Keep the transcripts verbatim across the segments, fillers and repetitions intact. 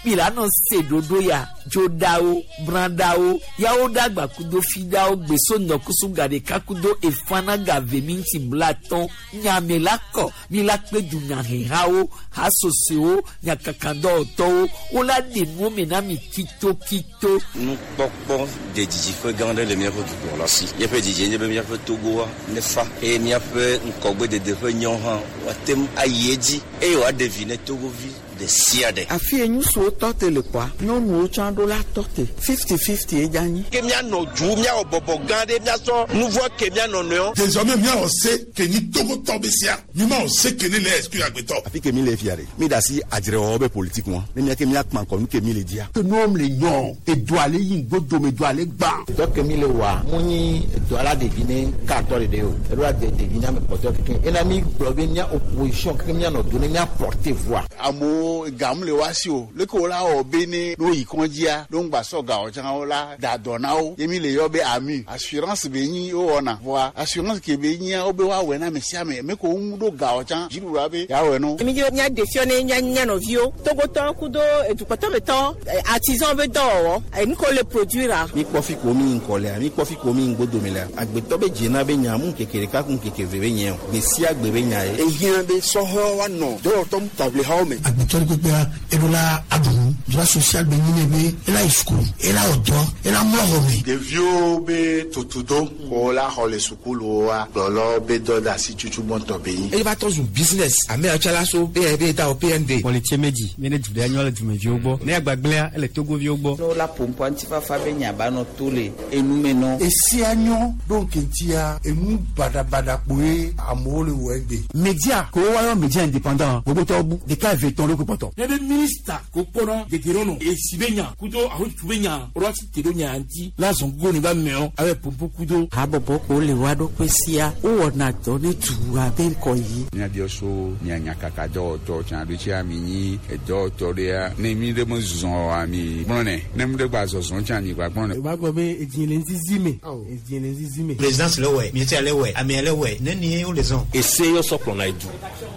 Milano se dodo ya dzodawo bradawo yawo dagba kudo fidawo gbeso nɔkusu gaɖeka kudo efana gave minti blatɔn nyame la kɔ mi la kpe dunyahehawo hasosowo nyakakadɔwɔtɔwo wola ɖe nuwo me na mi kitokito. Nukpɔkpɔ de didiƒe gã aɖe le míaƒe dukplɔla si. Míaƒe didie nye be míaƒe Togoa nefa eye míaƒe ŋkɔgbedede ƒe nyɔ hã woate ŋu ayi edzi eye wòaɖe vi ne Togovi ɖe sia ɖe. Afi ye ŋutsuwo tɔ te le kɔa, nyɔnuwo tsã ɖo la tɔ te fifty fifty ye dza nyi. Ke míanɔ du míawɔ bɔbɔ gã ɖe míasɔ nu vɔ ke míanɔ nɔewo. Désormais míawɔ se ke nyi Togotɔ be sia mi ma wɔ se ke ne le exclure agbetɔ. Afi ke mi le fia ɖe mi da asi adzrewɔwɔ be politique ŋua ne miake miakpã kɔ nu ke mi le dzia. Ke nuwo le nyɔ edoa le yi ŋgodome doa le gbã. Dɔ ke mi le wɔa mu nyi edoa la ɖevi ne katɔ ɖeɖe o eɖo la de ɖevi ne ame kpɔtɔ keke ena mi gblɔ be mía opposition keke míanɔ do ne mía porter voix. Amewo gamu le wa si o leke wo la wɔ be ne no yi kɔndzia no ŋgba sɔ gawɔ tsã wo la da dɔ na wo ye mi le yɔ be ami assurance be nyi wo wɔna vɔa assurance ke be nyia wo be woawɔe na ame sia ame ame ko ŋu ɖo gawɔ tsã dziɖuɖua be yeawɔe no. Mi dzi mía ɖe fiɔ ne mía mía nɔviwo Togotɔ kudo edukpɔtɔmetɔ artisan be dɔwɔwɔ enu ko le produire la. Mi kpɔ fi ko mi ŋkɔ lea mi kpɔ fi ko mi ŋgodome lea agbetɔ be dzena be nya mu ŋkeke ɖeka ku ŋkeke ve be nye o gbe sia gbe be nya ye. Ehiã be sɔhɛwo woanɔ dɔwɔtɔ taʋlihawo me. Agbetɔ kpekpea eɖo la aɖu droit social be nyi ne be ela yi sukulu ela wɔ dɔ ela mlɔ xɔ me. Ɖeviwo be tutudo ko la xɔ le sukuluwoa gblɔlɔ be dɔ de asi tutu gbɔntɔ be nyi. Eye va tɔ zu business ame yawo tsã la so be be da o P N D. Kpɔlitse medzi mi ne du ɖe nyɔ le dumeviwo gbɔ ne agbagblẽa ele Togoviwo gbɔ. Ne wola ƒoƒoa ŋutifafa be nya ba nɔ to le enume nɔ. Esia nyɔ ɖo ŋkeŋtia enu baɖabaɖa kpoe amewo le wɔ egbe. Media ko woayɔ media indépendant gbogbotɔwo bu ɖeka eve tɔn ɖo kpɔtɔ. Ne be minista ko kpɔnɔ degerɔnɔ esi be nya kudo ahotu be nya ɔlɔ ti te ɖo nya ŋuti la zɔn gogo ne ba mɛɔ abe pompo kudo. Habɔbɔ ko le wa ɖokui sia wowɔna dɔ ne dua be ŋkɔ yi. Míabiɔ so mia nyakaka dɔwɔtɔ tsã ɖo tsia mi nyi edɔwɔtɔ ɖea ne mi ɖe me zɔn oa mi gblɔnɛ ne mi ɖe gba zɔzɔn tsã mi gba gblɔnɛ. O b'a gbɔ be edzi le ŋzizi me edzi le ŋzizi me. Présidence le wɛ miɛtia le wɛ amea le wɛ ne ni wo le zɔn. Ese yɔ sɔ kplɔna edu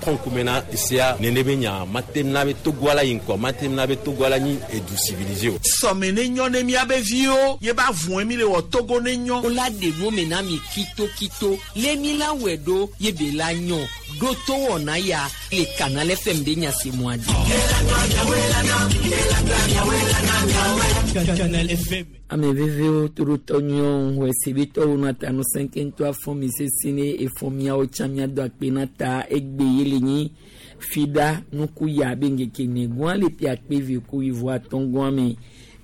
kɔnkume na esea nene be nya mate na be Togoa la yi ŋkɔ mate na be Togoa la nyi edu civilisé o. Sɔme ne nyɔ ne miabe viwo ye ba vɔe mi le wɔ Togo ne nyɔ. Wola ɖe nuwo me na mi kitokito le mi la wɔe ɖo ye be la nyɔ ɖo to wɔna ya le Canal F M be nyasemɔa dzi. Canal F M. Ame vevewo torotɔ nyuiwo xɔe se be tɔwo nɔ ta nusẽ keŋtɔ afɔ mi sesi ne efɔ miawo tsã miado akpe na ta egbe ye le nyi fida nuku ya be ŋkeke negɔa le ƒe akpe ve ku wuieve atɔ̃ gɔa me.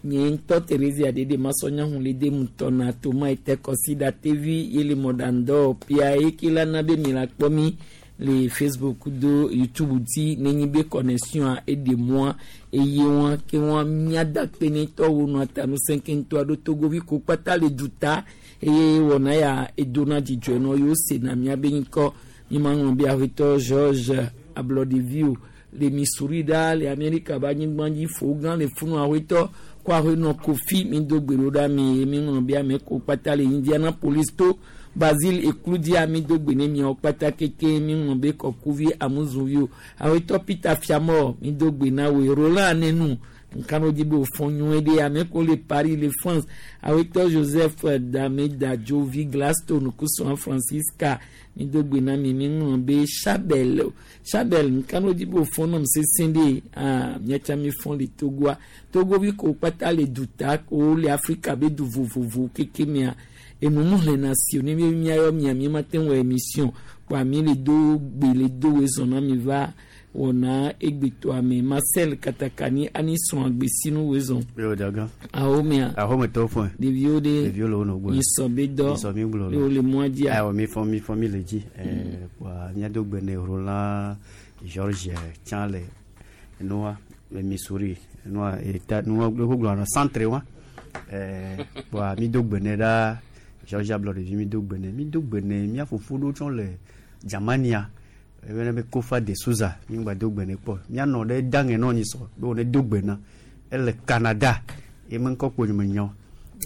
Nye ŋutɔ Theresia ɖeɖe masɔnya le de mutɔ na toma ete kɔsi tevi ye le mɔɖaŋdɔ pia ye ke la na be mi la kpɔ mi le Facebook do YouTube dzi nenye be connexion eɖe mɔa eye wɔn ke wɔn miada kpe ne tɔwo nɔ ta nusẽ keŋtɔ aɖo Togovi ko kpata le duta eye wɔna ya edona dzidzɔe nɔ yewo sena miabe ŋkɔ mi ma ŋlɔ be aƒetɔ George Ablɔɖeviwo le Missouri ɖa le Amerika be anyigba dzi fo gã le funu aƒetɔ ko aƒenɔ Kofi mi do gbe ɖo ɖa mi mi ŋlɔ be ame ko kpata le Indianapolis to Basile Ekludia mi do gbe ne miawo kpata keke mi ŋlɔ be kɔkuvi amuzuviwo aƒetɔ Peter Fiamɔ mi do gbe na woe Roland Anenu nkano dzi be wòfɔ nyuie ɖe ame ko le Paris le France aƒetɔ Joseph Damedadzovi Gladstone kusɔn Francisca mi do gbe na mi mi ŋlɔ be Chabel Chabel nkano dzi be wòfɔ nɔm sesẽ ɖe ah miatsa mi fɔ le Togoa Togovi ko kpata le duta ko le Afrika be du vovovo keke mea enu mu le na si ne mi miayɔ mia mi ma te wɔ émission kpa mi le do gbe le do wezɔn na mi va wɔna egbetɔa me Marcel Katakani ani srɔ̃ agbesinu wezɔn. Yo daga. Awo mea. Awo me tɔ fɔn. Ɖeviwo ɖe. Ɖeviwo le wo nɔ gbɔ. Misɔ be dɔ. Misɔ mi gblɔ. Ye wo le mɔa dzia. Ayiwa mi fɔ mi fɔ mi le dzi. Ɛɛ kpa míado gbe ne Roland George tsã le nua le Missouri nua eta nua gbogbo nɔ centre wa. Ɛɛ kpa mi do gbe ne ɖa George Ablɔɖevi mi do gbe ne mi do gbe ne mía fofo ɖewo tsɔ le Germania. Ebene be Kofa de Souza mi gba do gbe ne kpɔ mianɔ ɖe dange nɔ nyi sɔ be wòne do gbe na ele Canada ye me ŋkɔ kpo nye me nyɔ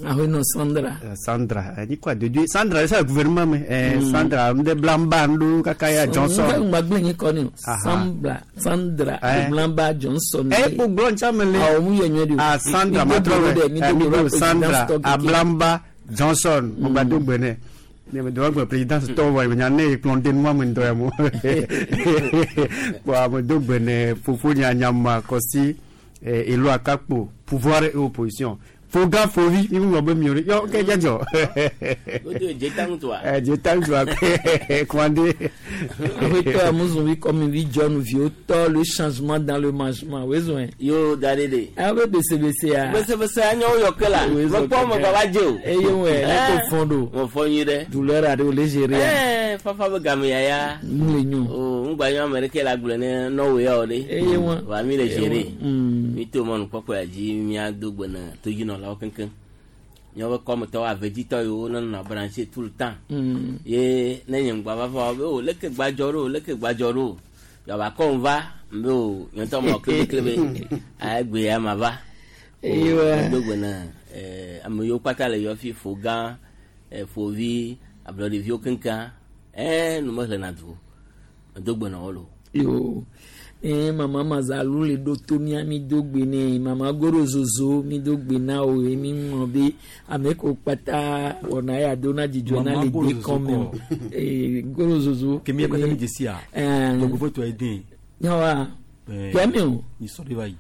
Ahoenɔ Sandra. Sandra ni quoi de Dieu Sandra c'est le gouvernement mais eh, Sandra de Blamba ndu kaka ya Johnson. Ngbagbe nyi kɔ ni o. Sandra Sandra Blamba Johnson. Eh pour glon chamele. Ah o mu yɛ nyɛ de o. Ah Sandra matro eh mi do Sandra Ablamba Johnson mo ba do gbene. Ne me doit président to wa nya ne plonde moi mo ndo ya mo. Wa mo do gbene fufu nya nyama kosi elo akakpo pouvoir et opposition. Foga fovi mi mo be mi ori yo ke jajo. Godo jetan toi. Eh jetan toi kwande. Ahoetɔ amuzunvi comme vi John Viotɔ le changement dans le mangement wezɔn. Yo darede. Awo bɛ besebese ya. Besebese anyo yɔ ke la. Mo kpɔ mo baba je o. Eye wɛ ne ko fɔn do. Mo fɔn yi dɛ. Douleur aɖewo le gérer ya. Ɛɛ fafa bɛ game ya ya. N le nyo. O n gba nyɔ amɛrike la gblɔ ne nɔwɛ ya o de. Eye wa. Wa mi le gérer. Mi to mɔnu kpɔkpɔ ya dzi mia do gbe na todzinɔlawo keŋkeŋ. Míaƒe kɔmetɔwo aveditɔ yiwo nenɔna branché tout le temps. Ye ne nye ŋgba va va be o leke gbadzɔ ɖo leke gbadzɔ ɖo yaba kɔm va mbe o nye ŋutɔ mɔ klebe egbe ya ma va. Do gbe na ame yiwo kpata le yɔ fi fo gã fovi ablɔɖeviwo keŋkeŋ ɛɛ nu mehlena du o do gbe na wo lo. Yo. Eh, mama Mazalu le ɖo to mía mi do gbe nɛ mama Goro Zozo mi do gbe na o ye mi ŋlɔ be ame ko kpata wɔna ya do na dzidzɔ na le de kɔme o ee Goro Zozo. Kemi ekɔtɛ mi dzesi a dɔgbofo tɔ ye den. Yawa kɛmɛ o. Nyi sɔ de va yi.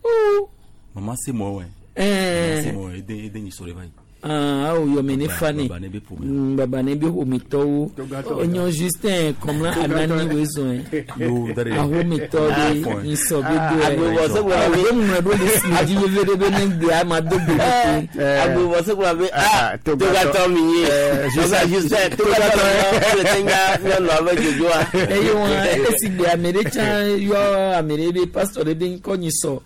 Oo. Mama se mɔ wɛ. Ɛɛ. Mama se mɔ eden eden nyi sɔ de va yi. Awo yɔmɛ ne fa ne baba ne bi ƒometɔwo enyo Justin kɔmla anani wezɔn ahometɔ de nsɔ bi do yɛ awo ŋlɔ ɖo le si dzi veve ɖe be ne gbe ama do gbe ɖe agbobɔsogblɔ be ah togatɔ mi ye Justin togatɔ le te nya nyɔnua be dzodzoa. Eye wɔn esi gbe ame ɖe tsã yɔ ame ɖe be pastor ɖe be ŋkɔ nyi sɔ.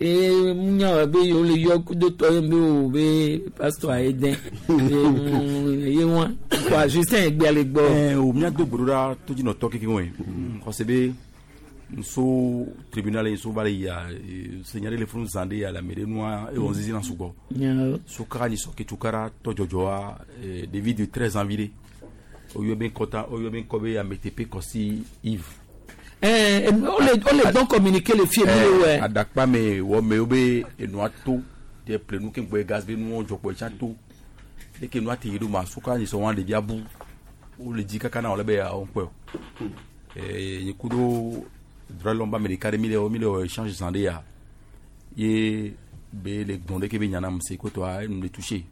E munya be yo le yɔ kudo tɔ ye be o be pastor ayi dɛ ye wa quoi Justin egbe ale gbɔ. Ɛɛ o mía do gbe ɖo ɖa todzinɔtɔ kekeŋ wɔe xɔse be nso tribunal yi nso va le yia senya ɖe le funu zã ɖe ya le ame ɖe nua ewɔ zizi na sugbɔ so kaka nyisɔ ke tukara tɔ dzɔdzɔa ɖevi de treize ans vi ɖe oyɔ be ŋkɔta oyɔ be ŋkɔ be ametepe kɔsi Yves. Eh, on les, on les donc communiquer les filles. Eh, adakpa me wɔ me wo be enua to de ple nu ke ŋgbɛ gaz be nuwo dzɔkpɔ etsa to leke nua te yi ɖo ma soka nyi sɔ wɔn ɖevi abu wo le dzi kaka na wòle be yawo ŋkpɛ o ee nyi ku ɖo droit de l'homme ba me ɖeka ɖe mi le wɔ mi le wɔ échange zã ɖe ya ye be le gbɔn ɖeke be nyana mu se kotɔa enu le touché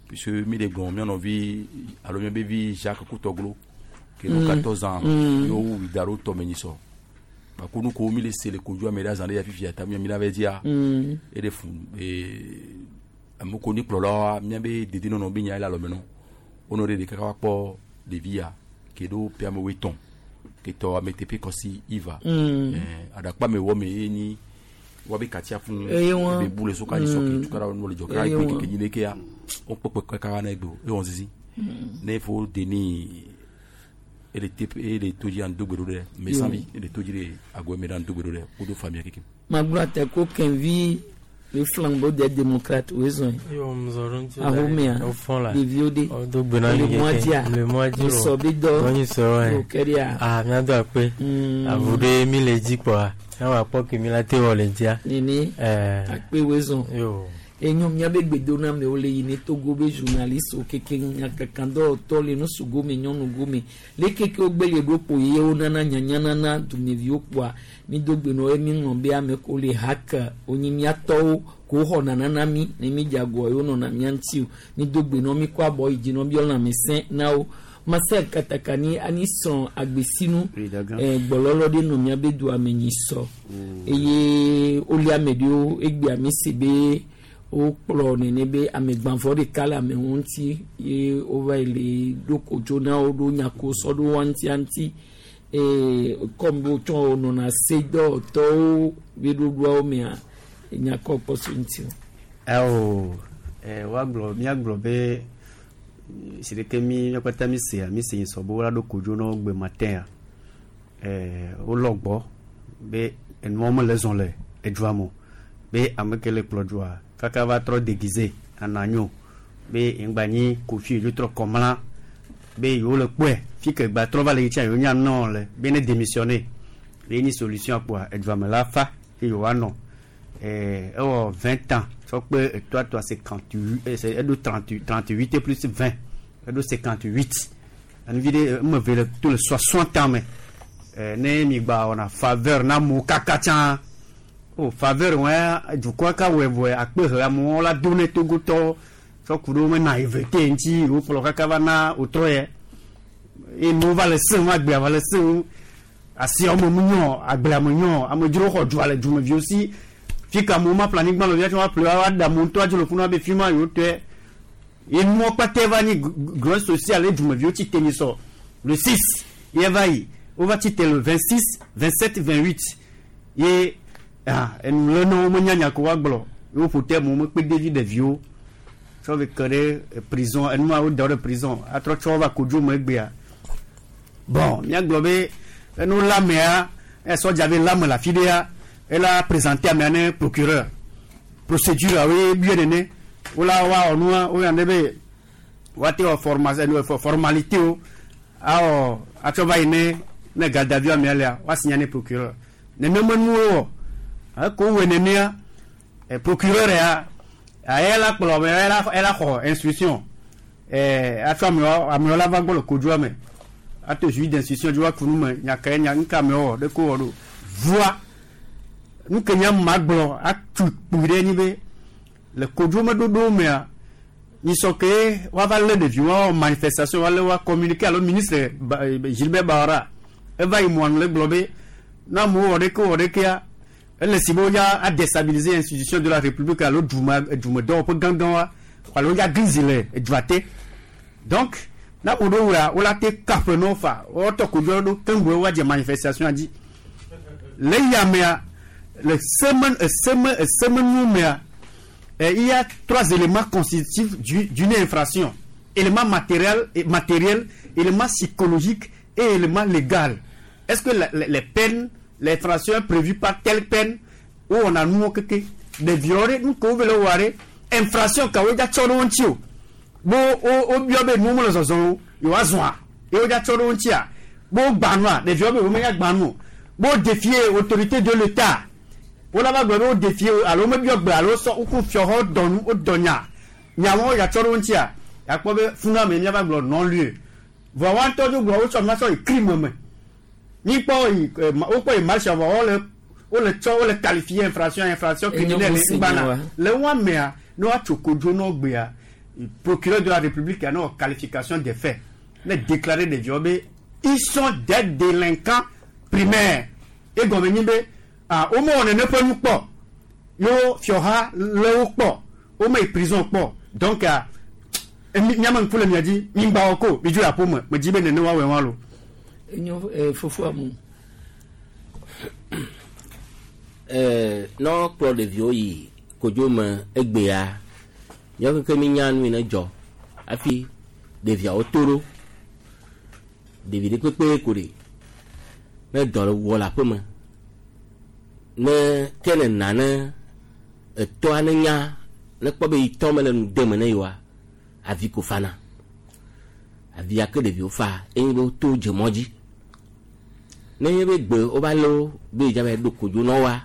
puisque mi le gbɔn mía nɔvi alo mía be vi Jacques Kutɔglo ke no quatorze ans yo wu da ɖo tɔme nyi sɔ bako nu ko mi le se le kodzo ame ɖe azã ɖe ya fifia ta mi la va dzia e ɖe fun ee ame ko ni kplɔlawoa mía be dedinɔnɔ be nya ye le alɔme nɔ wonɔ ɖe ɖeka va kpɔ ɖevi ya ke ɖo ƒe amewo etɔ̃ ke tɔ ametepe kɔsi Iva ɛɛ aɖakpa me wɔ me ye nyi woabe katia fún be bu le soka nyi sɔ ke tukara nu le dzɔ kaka egbe keke nyi ɖeke ya wokpɔkpɔ kaka na egbe o ewɔ zizi ne fo deni ele te ele toji an dogbe ɖo ɖe mesanvi ele toji ɖe agɔ me ɖe an dogbe ɖo ɖe wodo famille keke. Magblɔ ate ko Kenvi le flambeau des démocrates wezɔn ahomea ɖeviwo de le mɔa dzia nsɔ bi dɔ okeria. Ah miado akpe avu ɖe mi le dzi kpɔa miawɔ akpɔ ke mi la te wɔ le dzia. Nene akpe wezɔn. Enyo míabe gbedoname le yi ne Togo be journaliste wo keke nyakakadɔwɔtɔ le nusu gome nyɔnu gome le keke wogbe le ɖo kpo ye wonana nyanyanana dumeviwo kpoa mi do gbe nɔ ye mi ŋlɔ be ame ko le hake wonyi miatɔwo ko xɔna nana mi ne mi dze agɔ ye wonɔna mía ŋuti o mi do gbe nɔ mi kɔ abɔ yi dzi nɔ bi lãme sẽ na wo Marcel Katakani ani sɔn agbesinu eh, gbɔlɔlɔ ɖe nɔ míabe dua me nyi sɔ eye woli ame ɖewo egbea mi se be wokplɔ nene be amegbãvɔ ɖeka le amewo ŋuti ye wova yi le ɖo kodzo na wo ɖo nyako sɔ ɖo wa ŋutia ŋuti ee kɔm be wotsɔ wonɔna se dɔwɔtɔwo be ɖoɖoawo mea nyakɔ kpɔ so ŋuti o. Ɛwɔ ɛ woagblɔ míagblɔ be si ɖeke mi míakpata mi sea mi se sɔ be wola ɖo kodzo na wo gbe matin ɛɛ wolɔ gbɔ be enuwo mele zɔn le edua me o be ame ke le kplɔ dua kaka va trɔ déguisé ananyo Be ŋgba nyi Kofi dzo trɔ kɔmla be yewo le kpɔe fi ke gba trɔ va le yi tsa yewo nya nɔ le be ne démissionner ye nyi solution kpoa edua me la fa ye yewoa nɔ ɛɛ ewɔ vingt ans tsɔ kpe etɔa tɔa cinquante huit eɖo trente trente huit plus vingt eɖo cinquante huit enuvi ɖe eme ve le to le soixante ans me ɛɛ ne mi gba wɔna faveur na amewo kaka tsã o faveur wɔn dukɔa ka wɔe vɔe akpe he amewo la do ne Togotɔwo tsɔ ku ɖe wo me naïveté ŋuti wokplɔ kaka va na wotrɔ yɛ eye nuwo va le sẽŋ agbea va le sẽŋ asiawo me mu nyɔ agblea me nyɔ amedzrowo xɔ dua le dumeviwo si fi ka amewo ma ƒle anyigba le via woaƒle woaɖe amewo ŋutɔ adzo le funu abe fi ma yewo tɔe ye nuwo kpatɛ va nyi grève sociale ye dumeviwo tsi te nyi sɔ le six ye va yi wova tsi te le vingt six vingt sept vingt huit ye ah enu le na wo menya nya ko woagblɔ ye woƒo te amewo mekpe ɖevi ɖeviwo tsɔ ve ke ɖe prison enua wo da wo ɖe prison atrɔ tsɔ va kodzo me egbea bon míagblɔ be enu la mea sɔdza be la me le afi ɖea ela présenter amea ne procureur procédure awo biɛ nene wola woawɔ nua woyɔ ne be woate wɔ formation formalité wo awɔ atsɔ va yi ne ne gadavi amea lea woasigna ne procureur nenema nuwo wɔ eko wɔ nenea procureur ya ela kplɔ ame ela ela xɔ instruction ɛɛ atsɔ amewo amewo la va gbɔ le kodzoa me ato juge d'instruction dzi woaku nu me nya ke nya nuka amewo wɔ ɖe ko wɔ ɖo vua nu ke nya ma gblɔ atu kpui ɖe nyi be le kodzomeɖoɖowo mea nyisɔ ke woava lé ɖeviwo woawɔ manifestation woalé woa communiquer alo ministre Gilbert Bawara eva yi mɔanu le gblɔ be ne amewo wɔ ɖeke wɔ ɖekea ele si be wodza adéstabiliser institution de la république alo dume dumedɔwɔƒe gãgãwoa alo wodza grizi le edua te donc na wo ɖo wɔa wola te kaƒe na wo fa woatɔ kodzo ɖo keŋgbe woadze manifestation dzi le yamea le semaine semaine semaine mea il y a trois éléments constitutifs d'une infraction élément matériel matériel élément psychologique et élément légal est-ce que la, les, les peines l'infraction est prévue par telle peine où on a nous keke des violés nous ko vele ware infraction ka wo dza tsɔ ɖe wo ŋuti o bo wo wo biɔ be nu me le zɔzɔm o yewoa zɔa ye wo dza tsɔ ɖe wo ŋutia bo gbã nua ɖeviwo be wo menya gbã nu o bo défier autorité de l'état wo la va gblɔ be wo défier alo wo mebiɔ gbe alo sɔ woku fiɔxɔ dɔ nu wo dɔ nya nyawo wo dza tsɔ ɖe wo ŋutia yakpɔ be funu ame mía va gblɔ non lieu vɔ wa ŋutɔ dzo gblɔ wo tsɔ nua tsɔ yi crime me mi kpɔ yi wokpɔ yi marche vɔ wole wole tsɔ wole qualifier infraction infraction criminelle ŋgbana le wa mea ne woatso kodzo na gbea procureur de la république ya ne wɔ qualification des faits ne déclarer ɖeviwo be ils sont des délinquants primaires egɔme nyi be ah womewɔ nene ƒe nu kpɔ yewo fiɔha lé wo kpɔ wome yi prison kpɔ donc ah miame ŋku le mia dzi mi ŋgba wɔ ko mi dzo yi aƒe me me dzi be nene woawɔe wa lo. enyo eh, fofoa mu. ɛɛ ne kplɔ ɖeviwo yi kodzo me egbea míawo keke mi nya nu yi ne dzɔ hafi ɖeviawo to ɖo ɖevi ɖe kpekpe ko ɖe ne dɔ wɔ le aƒe me ne ke ne na ne etɔa ne nya ne kpɔ be yi tɔ me le nu de me ne yewoa avi ko fana avia ke ɖeviwo fa eye be woto dze mɔ dzi ne nye be gbe wova lé wo be yidza va ɖo kodzo na woa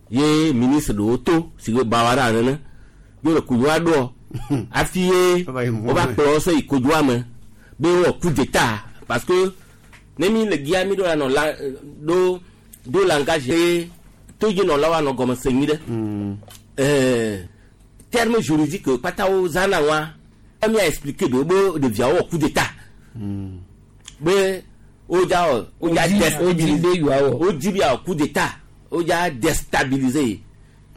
ye ministre ɖewo to si ke Bawara nene ye wole kodzoa ɖoɔ hafi ye wova kplɔ wo sɔ yi kodzoa me be wowɔ coup d'état parce que ne mi le gia mi ɖo la nɔ la ɖo ɖo langage ye todzinɔlawo anɔ gɔme se nyui ɖe ɛɛ terme juridique kpata wo zãna wa mia expliquer ɖewo be ɖeviawo wɔ coup d'état be wodza wɔ wodza déstabiliser wodzi be awɔ coup d'état wodza déstabiliser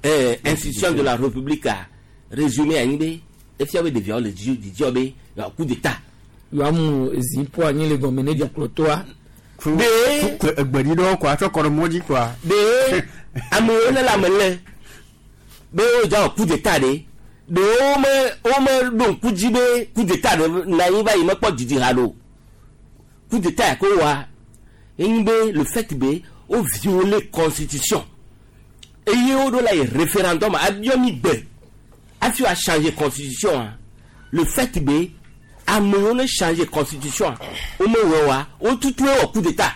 ɛɛ institution de la république a résumé anyi be efia be ɖeviawo le dzi dzidzɔ be yeawɔ coup d'état. yoamu zipo anyi le gɔme ne dukplɔtɔa. be egbeɖi ɖewo kɔa tsɔ kɔ ɖe mɔ dzi kɔa. be amewo ne le ame lé be wodza wɔ coup d'état ɖe ɖewo me wo me ɖo ŋku dzi be coup d'état ɖe na anyi va yi mekpɔ dzidzi ha ɖo coup d'état ya ko wa enyi be le fait be wo violer constitution eye wo ɖo la yi référendum abiɔ mi gbe hafi wa changer constitution a Le fait be amewo ne changer constitution wo me wɔ wa wo tutu wɔ coup d'état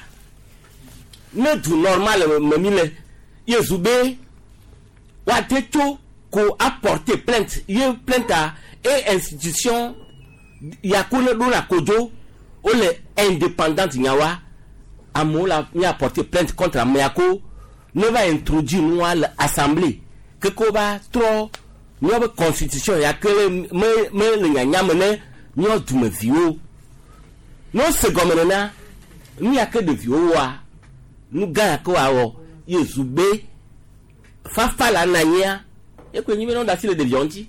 ne du normal me mi le ye zu be woate tso ko apporter plainte ye plainte a e institution yako ne ɖo na kodzo wole indépendante nyawa amewo la mi apporter plainte contre amea ko ne va introduire nua le assemblée keke va trɔ míaƒe constitution ya ke le me me le nyanya me ne míawo dumeviwo ne wose gɔme nena nu ya ke ɖeviwo wɔa nu gã ya ke woawɔ ye zu be fafa la na anyia ye koe nyi be ne woda asi le ɖeviawo ŋuti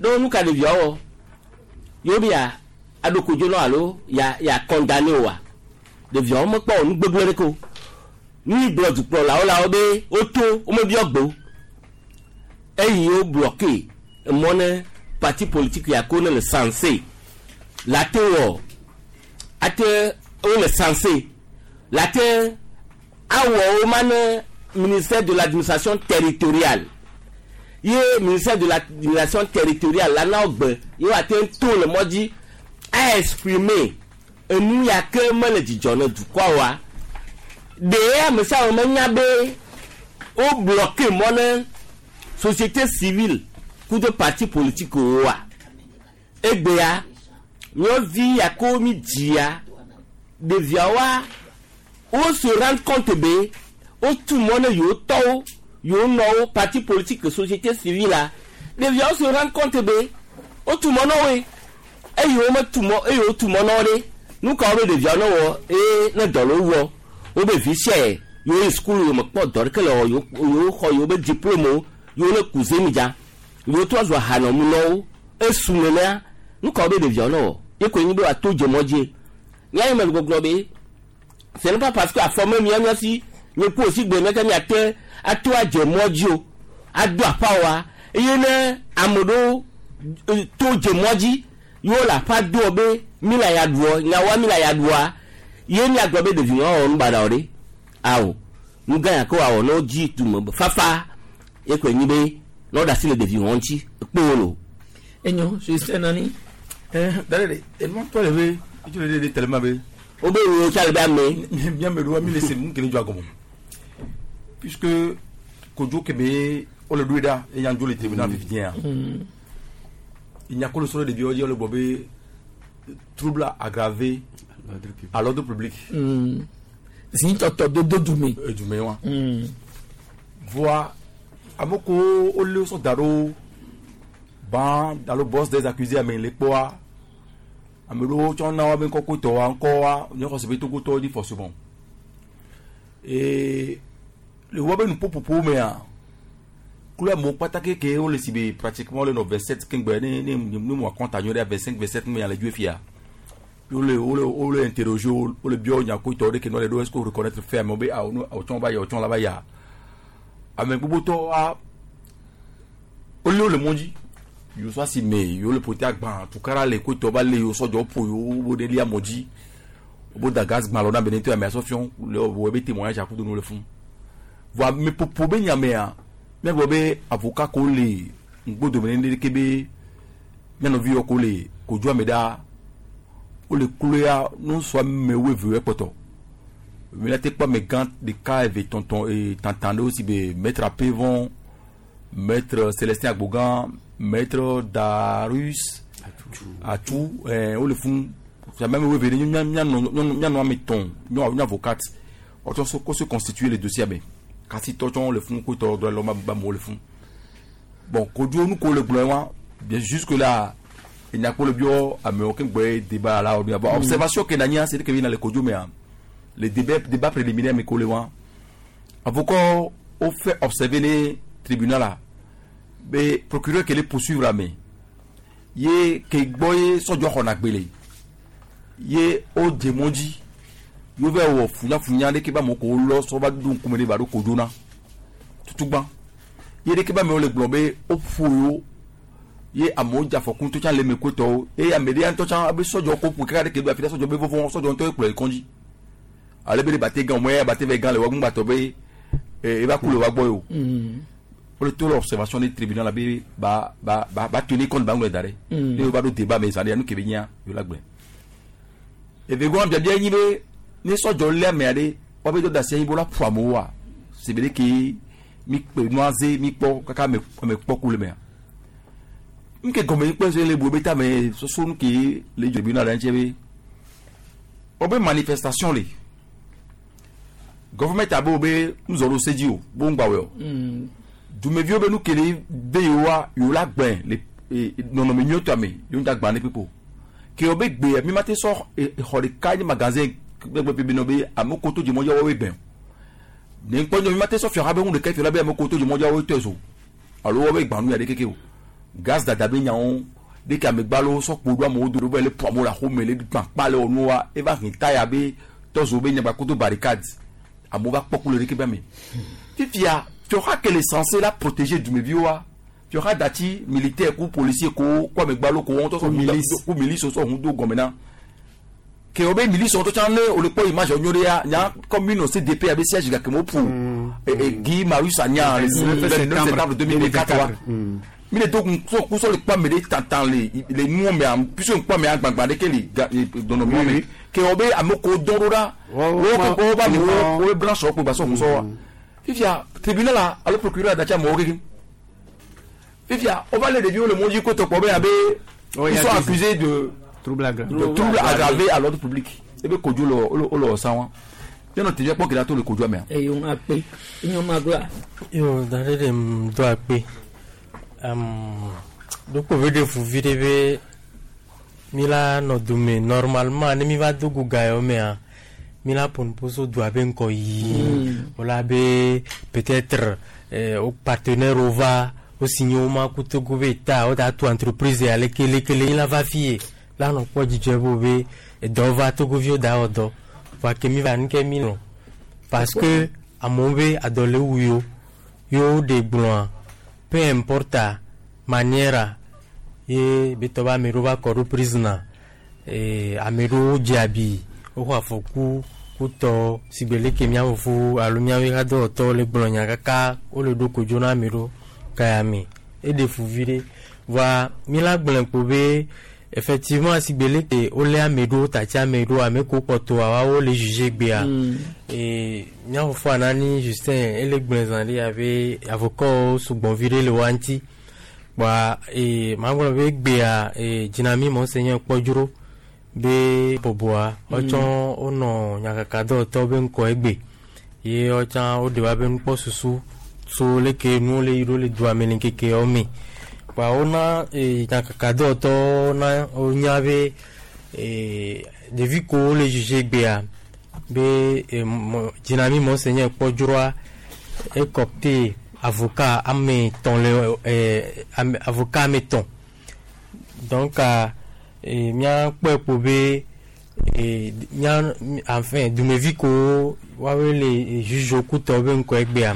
ɖo nu ka ɖeviawo wɔ yewo be ya aɖo kodzo nɔ alo ya ya condamné oa ɖeviawo mekpɔ wɔ nu gbegblẽ ɖeke o nu yi gblɔ dukplɔlawo la wo be woto womebiɔ gbe o eyi wo bloqué emɔ ne parti politique ya ko ne le censé la te wɔ ate wo le censé la te awɔ wo ma ne ministère de l'administration territoriale ye ministère de l'administration territoriale la na wo gbe ye wa te to le mɔ dzi a exprimer enu ya ke mele dzidzɔ ne dukɔa wa ɖe ame sia ame menya be wo bloqué mɔ ne société civile kudo parti politique wo wa egbea míavi yako mi dzia ɖeviawoa wo se rendre compte be wotu mɔ ne yewo tɔwo yewo nɔwo parti politique société civile la ɖeviawo se rendre compte be wotu mɔ na woe eye wo metu mɔ eye wotu mɔ na wo ɖe nu ka wo be ɖeviawo ne wɔ eye ne dɔ le wo wɔ wo be vi sia yewo yi sukulu yewo mekpɔ dɔ ɖeke le wɔ yewo yewo xɔ yewo be diplôme wo yewo le ku zemidza yewo trɔ zu ahanɔmunɔwo esu nenea nu ka wo be ɖeviawo ne wɔ ye koe nyi be wòato dze mɔ dzie nya yi me le gbɔgblɔ be ce n'est pas parce que afɔ me mia mia si nye ku osi gbe meke miate ato adze mɔ dzi o ado aƒa wa eye ne ame ɖewo eh, to dze mɔ dzi yewo le aƒa doɔ be mi le ya ɖuɔ nyawoa mi le ya ɖua ye miagblɔ be ɖevi wɔwɔ nu baɖa o ɖe awo nu gã ya ke woawɔ ne wodzi dume be fafa ye koe nyi be ne woɖe asi le ɖevi wɔn ŋuti kpo lo. enyo justin nani. D'ailleurs, enua tɔ le be itso le de tellement be. o be wo tsa le be ame. Miame ɖo mi le se nu kele dzɔ agɔmɔ puisque kodzo kebe wole ɖoe ɖa eye dzo le tribunal fifi ya. Inyakolo sɔrɔ ɖeviwo dzi wole gbɔ be trouble aggravé à l'ordre public. Zitɔtɔ dodo dume. Edume wa. Voa ame ko wole sɔ da ɖo ban alo boss des accusés ame le kpɔa ame ɖewo tsɔ na woabe ŋkɔ kotɔwa ŋkɔwa nye xɔse be togotɔwo dzi forcément et le woabe nuƒoƒoƒo mea kple amewo kpata keke wole si be pratiquement wole nɔ vingt sept kengbe ne ne ne mo akɔnta nyuie ɖe vingt cinq vingt sept me le dzoe fia wole wole wole interroger wo wole biɔ nya kotɔwo ɖe ke ne wole ɖo est ce que wo reconnaître fait amewo be awo awo tsɔ va ya awo tsɔ la va ya ame gbogbotɔwoa wole wole mɔ dzi yewo sɔ asi me yewo le ƒote agbã tukara le kotɔ va le yewo sɔdzɔ ƒo yewo wo ɖe lia mɔ dzi wo da gaz gbã lɔ na benetɔ ame asɔ fiɔ le wo be témoignage akudo nu le fún voa ame ƒoƒo be nyamea míagblɔ be avocat ko le ŋgbodome ne ɖeke be míanɔvi yɔ ko le kodzo ame ɖa wole kloya nusɔ ame wuieve ekpɔtɔ míate kpɔ ame gã ɖeka eve tɔntɔn e tantan ɖewo si be maître apevon maître célestin agbogan maître darius atu ɛɛ wole fún ame wuieve ɖe mía míanɔ míanɔ ame tɔn nyɔ avocat wɔtsɔ so ko se constituer le dossier me kasi tɔtsɔ le fún kotɔ dɔ lɔ ba mo le fún bon kodzo nu ko le gblɔ wa bien jusque là enyakpo le biɔ amewo ke gbɔ débat la o bon observation ke nanya c'est que na le kodzo mea le débat débat préliminaire me ko le wa avocat o fait observer ne tribunal la be procureur ke le poursuivre ame ye ke gbɔ ye sɔdzɔ xɔna gbele ye o dze mɔ dzi yóò fẹ́ wọ funyafunya ɖeke ba amewo ko lɔ sɔ va ɖo ŋkume ɖe ba ɖo kodzo na tutugba ye ɖeke ba amewo le gblɔ be woƒo yewo ye amewo dze afɔku ŋutɔ tsã le eme kotɔwo eye ame ɖe ŋutɔ tsã abe sɔdzɔ ko ƒo kaka ɖeke do afi ɖe sɔdzɔ be vɔvɔ sɔdzɔ ŋutɔ ye kplɔ yi kɔndzi ale be ɖe bate gã o mɔ ya bate vɛ gã le wa ŋgbatɔ be ee eva ku le wa gbɔ ye o wole to le observation du tribunal la be ba ba ba ba tenir compte ba ŋlɔ da ɖe ne wo va ɖo débat me zã ɖe nu ke be nyia yewo la gblɔe evegɔn biabia nyi be ne sɔdzɔ lé amea ɖe woabe dɔ da asi anyi be wola ƒo amewoa sebe ɖe ke mi kpe nua ze mi kpɔ kaka ame ame kpɔ ku le mea nke gɔme yi kpɔ se le bu be ta me soso nu ke le tribunal la ŋuti be wobe manifestation le gɔvɛmɛnt abe wo be nuzɔ ɖo se dzi o bo ŋgba wɔe o dumeviwo be nu ke le be yewoa yewo la gbɛ le e nɔnɔme nyuietɔ me yewo ŋuta gbã ne kpekpe o ke wo be gbea mi ma te sɔ xɔ ɖeka nye magasin gbɛgbɛ be nɔ be ame ko to dzimɔdzi woawoe gbɛ o ne ŋkpɔ nyɔ mi ma te sɔ fiaxa be ŋu ɖeka fia be ame ko to dzimɔdzi woawoe tɔe so alo woawoe gbã nu ya ɖe keke o gaz dada be nyawo ɖeke amegbalo sɔ kpo ɖo amewo do ɖo be le ƒo amewo le axome le gbã kpa le wɔ nuwa eva hin taya be tɔzo be nyagba koto barricade amewo va kpɔ ku le ɖeke be ame fifia fiɔxa ke le censé la protéger dumeviwoa fiɔxa dati militaire ku policier ko ku amegbalo ko wɔn tɔ sɔ ku milice sɔ hun do gɔmɛ na ke wo be milice wɔn tɔ tsã ne o le kpɔ image nyo ɖe ya nya commune C D P abe siège gake mo ƒo Guy Marius Sagna le neuf septembre deux mille vingt-quatre wa mi le do kusɔ kusɔ le kpɔ ame ɖe tantan le le nuwo mea puisque ŋkpɔ amea gbagba ɖeke le ga dɔnɔmɔ me ke wo be ame ko dɔn ɖo ɖa wo ke wo ba mi wo wo be branche wo kpo gba sɔ kusɔ wa fifia tribunal la alo procureur dati amewo kekem fifia wo va le ɖeviwo le mɔdzi ko tɔkpɔ be abe ils sont accusés de trouble aggravé de trouble aggravé à l'ordre public ebe kodzo le wo le wɔ sa wa yɔnɔ tevia kpɔ gɛlɛya to le kodzo mea. Eyo ŋu akpe enyo ma gba. Yo da ɖe ɖe m do akpe um, ɖokpo be ɖe fu vi ɖe be mi la nɔ dome normalement ne mi va do go ga yawo mea mi la ƒo nuƒo so dua be ŋkɔ yi wala be peut-être eh, wo partenaire wo va wo signé wo ma ku Togo be ta wo da tu entreprise ya leke leke le la va fie la nɔ kpɔ dzidzɔe bo be edɔ va Togoviwo da wɔ dɔ voa ke mi va nu ke mi lɔ parce que amewo be adɔ le wu yewo yewo ɖe gblɔa peu importe manière ye be tɔ be ame ɖewo va kɔ ɖo prisoner eh, ame ɖewo dze abi woxɔ afɔku kutɔ sigbe leke mía fofo alo míawoe hadɔwɔtɔwo le gblɔ nya kaka wole ɖo kodzo na ame ɖewo kaya me eɖe fu vi ɖe voa mi la gblɔe kpo be effectivement sigbe leke wolé ame ɖewo tati ame ɖewo ame kewo kpɔtɔa woawo le juge gbea e mía fofo Anani Justin ele gblɔe zã ɖe abe avocat sugbɔ vi ɖe le woa ŋuti kpoa e magblɔ be gbea e dzinami monseigneur kpɔdzro be bɔbɔa wotsɔ wonɔ nyakakadɔwɔtɔwo be ŋkɔ egbe ye wotsã woɖe woabe nukpɔsusu so leke nuwo le yi ɖo le dua me le ŋkeke yawo me kpoa wona e nyakakadɔwɔtɔwo na wonya be e ɖevi kewo le juge gbea be e mɔ dzinami monseigneur kpɔdzroa ekɔpte avocat ame etɔ̃ le ɛ ame avocat ame etɔ̃ donc e míakpɔe kpo be e mía enfin dumevi kewo woawoe le juge kutɔwo be ŋkɔ egbea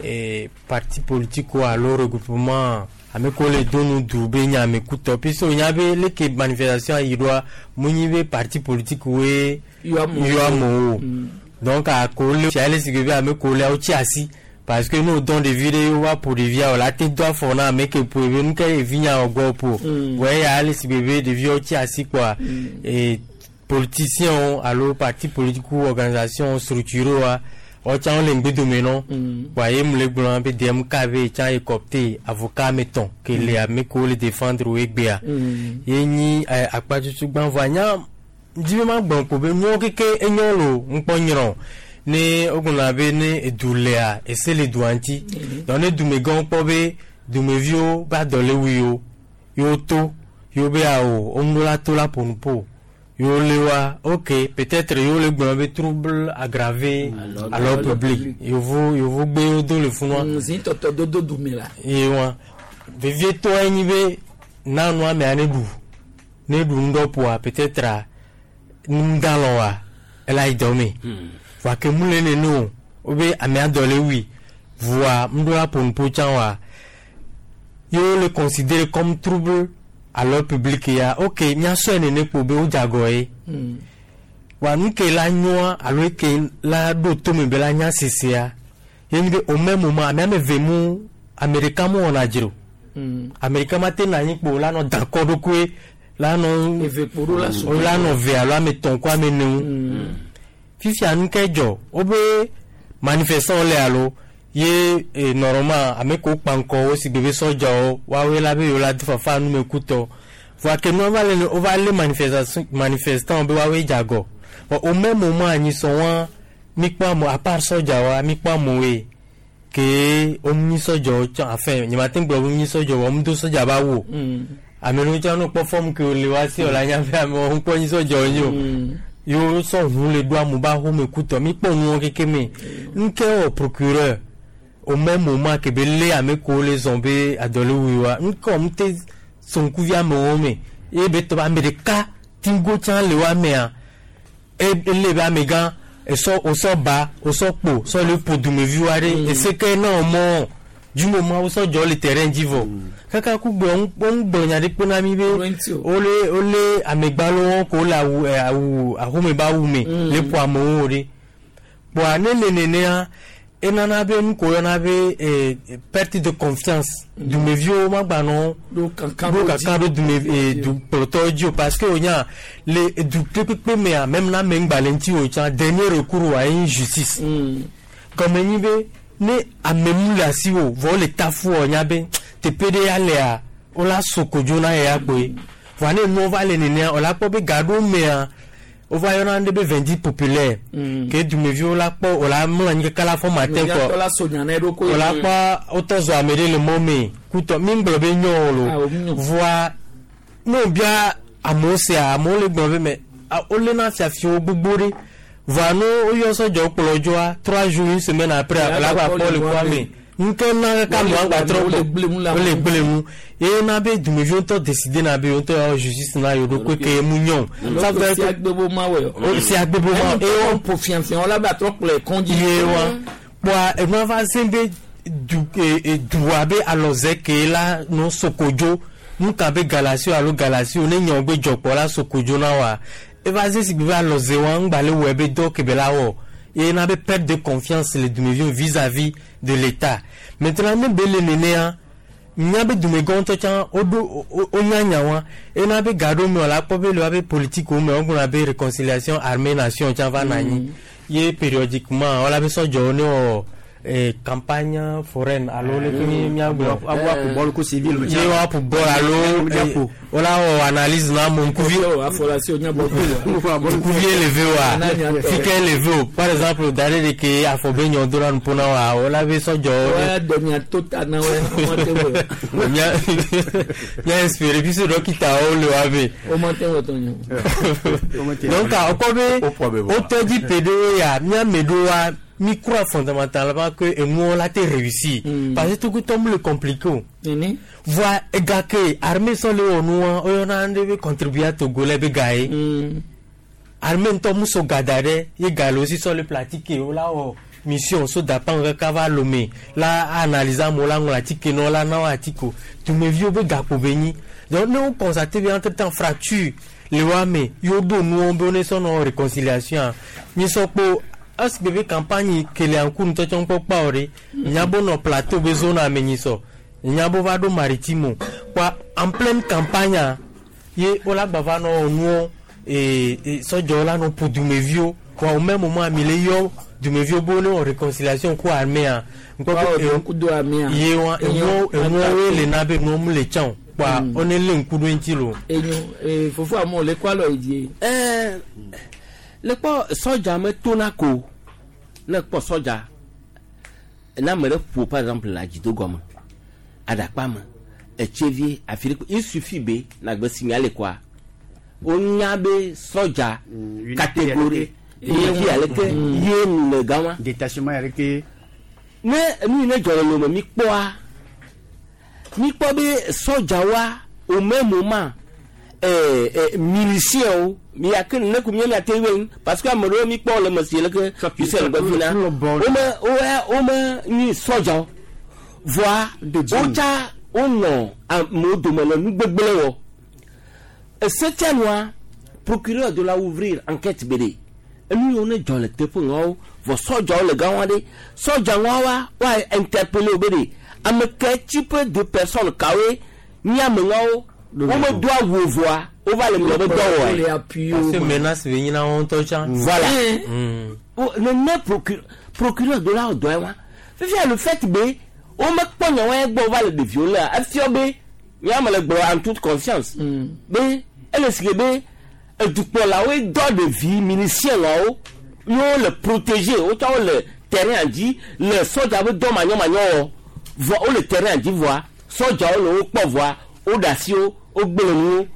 e parti politique alo regroupement ame kewo le do nu du be nye ame kutɔ puisque wonya be leke manifestation yi ɖoa munyi be parti politique woe yɔ amewo o donc ako le fia le sigbe be ame kewo lea wotsi asi parce que ne wodɔn ɖevi ɖe wova ƒo ɖevia o la te do afɔ na ame ke ƒo be nu ke ɖevi nya wɔ gbɔ ƒo wɔ eya le sigbe be ɖeviwo tsi asi kpoa e politiciens alo parti politique organisation structure wa wotsã wole ŋgbedome nɔ kpoa ye mu le gblɔ be D M K be tsã ekɔpte avocat ame etɔ̃ ke le ame kewo le défendre wo egbea ye nyi akpa tutu gbã voa nya dzi be ma gblɔ ko be nuwo keke enyo lo ŋkpɔ nyrɔ ne wogblɔna be ne edu lea ese le dua ŋuti donc ne dumegãwo kpɔ be dumeviwo be adɔ le wu yewo yewo to yewo be awo woŋu la to la ƒo nu ƒo yewo le wa ok peut-être yewo le gblɔ be trouble aggravé à l'ordre public yevu yevu gbe wo do le funua. Zi tɔtɔ dodo dume la. Ye wa vevietɔ ye nyi be nanu amea ne ɖu ne ɖu ŋdɔ ƒoa peut-être ŋdalɔ wa ela yi dɔ me voa ke mu le nene o wobe amea dɔ le wui voa ŋɖo la ƒo nuƒo tsã wa yewo le considéré comme trouble à l'ordre public ya ok míasɔe nene kpo be wodze agɔ ye wa nu ke la nyoa alo eke la ɖo tome be la nya sesea ye nyi be au même moment ame ame eve mu Amerika mu wɔna dzro Amerika ma te na anyi kpo la nɔ da kɔ ɖokoe la nɔ la nɔ ve alo ame tɔn ko ame ne ŋu fifia nu ke dzɔ wobe manifestant le alo ye e, normalement ame ko kpankɔ wo si gbe be sɔdzawo woawoe la be yewo la do fafa numekutɔ voa ke nua va le wova lé manifestation manifestant be woawoe dze agɔ bon au même moment anyi sɔ wa mi kpɔ ame à part sɔdzawoa mi kpɔ amewoe ke wo nyi sɔdzawo tsã enfin nye ma te gblɔ be wo nyi sɔdzawo wo do sɔdza ba wo ame ɖewo tsã no kpɔ fɔm ke wole wa si wòle anya be amewo ŋkpɔ nyi sɔdzawo nyi o yewo sɔ ʋu le ɖo amewo ba xɔme kutɔ mi kpɔ nuwo keke me nke wɔ procureur au même moment ke be lé ame kewo le zɔn be adɔlewui wa nke wɔm te sonkuvi amewo me ye be tɔ be ame ɖeka tingo tsã le wa mea ele be amegã esɔ wosɔ ba wosɔ kpo sɔ le ƒo dumeviwo aɖe ese ke ne wɔmɔ du moment wosɔ dzɔ le terrain dzi vɔ kaka kugbe wɔn gblɔ nya ɖe kpe na mi be wole wole amegbalowo ko le awu ɛ awu axome be awu me le ƒo amewo ɖe kpoa ne le nenea enana be nu ko yɔna be eh, perte de confiance dumeviwo ma gba nɔ ɖo kankan ɖo kankan ɖo dume eh, dukplɔtɔwo dzi o parce que o nya le du kpekpe mea même na ame ŋgba le ŋuti o tsã dernier recours wa ye nyi justice gɔme nyi be ne ame mu le asi o vɔ wole tafu wɔ nya be teƒe ɖe ya lea wola so kodzo na ye ya kpoe voa ne nuwo va le nenea wola kpɔ be ga ɖewo mea wova yɔna ɖe be vingt populaire ke dumeviwo la kpɔ wola mlɔ anyi kaka la fɔ matin kɔ la so nya na eɖokui wola kpɔ wotɔ zɔ ame ɖe le mɔ me kutɔ mi gblɔ be nyɔ o lo voa ne wobia amewo sea amewo le gblɔ be mɛ wolena fiafiwo gbogbo ɖe voa ne woyɔ sɔdzɔ kplɔ dzoa trois jours une semaine après la gba kpɔ le kɔa me nke na kaka amewo agba trɔ gbɔ wole gblẽ nu ye na be dumeviwo ŋutɔ décider na be yewo ŋutɔ yɔ justice na yewo ɖokui ke ye mu nyɔ o. Ça veut dire que ma wɛ o si agbebo ma eye wɔn po fiafia wɔla be atrɔ kplɔ kɔndzi. Ye wa kpoa enua va se be du e dua be alɔze ke la nɔ sokodzo nuka be galasio alo galasio ne nyɔ be dzɔkpɔ la sokodzo na wa eva se si be alɔze wa ŋgba le wɔ be dɔ ke be la wɔ ye na be perte de confiance le dumeviwo vis-à-vis de l'État maintenant ne be le nenea nya be dumegã ŋutɔ tsã woɖo wonya nya wa ena be ga ɖo me la kpɔ be le wa be politique wo me wogblɔna be réconciliation armée nation tsã va na anyi ye périodiquement wala be sɔdzɔwo ne wɔ eh, campagne foraine alo le ke mi miagblɔ ye wa ƒo bɔl alo wola wɔ analyse na ame ŋkuvi ŋkuvi eleve wa fike eleve o par exemple da ɖe ɖeke afɔ be nyɔ do na nuƒo na wa wola be sɔdzɔwo mia mia inspiré puisque dɔkitawo le wa be donc wokɔ be wotɔ dzi pe ɖewo ya miame ɖewoa mi croit fondamentalement que enuwo la te réussir mm. parce que tout le compliqué o voa ega ke armée sɔ le wɔ nua woyɔna ɖe be contribuer togolais be ga ye armée ŋutɔ mu so ga da ɖe ye ga le wo si sɔ le pratique wo la wɔ mission so dapan kaka va Lomé la analyse amewo la ŋlɔ atike na wo la na wo atike o dumeviwo be gakpo be nyi donc ne wo constate be entre temps fracture le wa me yewo ɖo nuwo be wo ne sɔ nɔ réconciliation mi sɔ kpo esi be campagne kele ŋku ŋutɔ tsɔ ŋkpɔ kpa o ɖe nyabo nɔ plateau be zone ame nyi sɔ nyabo va ɖo maritime kpoa en pleine campagne ye wola gba va nɔ nuwo ee sɔdzɔwo la nɔ ƒo dumeviwo kpoa au même moment mi le yɔ dumeviwo be wo ne wɔ réconciliation ku armée ŋkpɔ be ye wa enuwo enuwo le na be nuwo mu le tsã o kpoa wo ne lé ŋku ɖo eŋuti lo. Enyo ee fofo amewo le kɔ alɔ yi die. Ɛɛ le kpɔ sɔdza me tona ko ne kpɔ sɔdza ne ame ɖe ƒo par exemple le adzido gɔme aɖakpa me etsevie afi ɖe il suffit be nagbe signalé quoi wonya be sɔdza catégorie unité aleke ye le gama. Détachement aleke. Ne nu yi ne dzɔ le lome mi kpɔa mi kpɔ be sɔdzawoa au même moment eh, eh, miliciens mi ya ke ne ku mi mi te wen parce que ame ɖewo mi kpɔ le me si le ke tu le gbe fina wome wo wome nyi sɔdzawo voa wotsa wonɔ amewo dome le nugbegblẽ wɔ esetia nua procureur de la ouvrir enquête be ɖe enu yiwo ne dzɔ le teƒe ŋawo vɔ sɔdzawo le gã wa ɖe sɔdza ŋua wa wa interpeller wo be ɖe Ame ke type de personne kawoe ní ameŋawo womedo awu voa wova le miabe dɔ wɔe. Parce que menace be nyina wɔn ŋutɔ tsã. Voilà. Nene procureur de la dɔ ye wa fifia le fait be womekpɔ nyawo gbɔ wova le ɖeviwo lea efia be míame le gblɔ en toute conscience be ele si ke be edukplɔlawoe dɔ ɖevi milicienwawo yewo le protéger wotsɔ wo le terrain dzi le sɔdza be dɔ manyɔmanyɔ wɔ vɔ wole terrain dzi vɔa sɔdzawo le wo kpɔ vɔa woɖe asi wo wogblẽ nuwo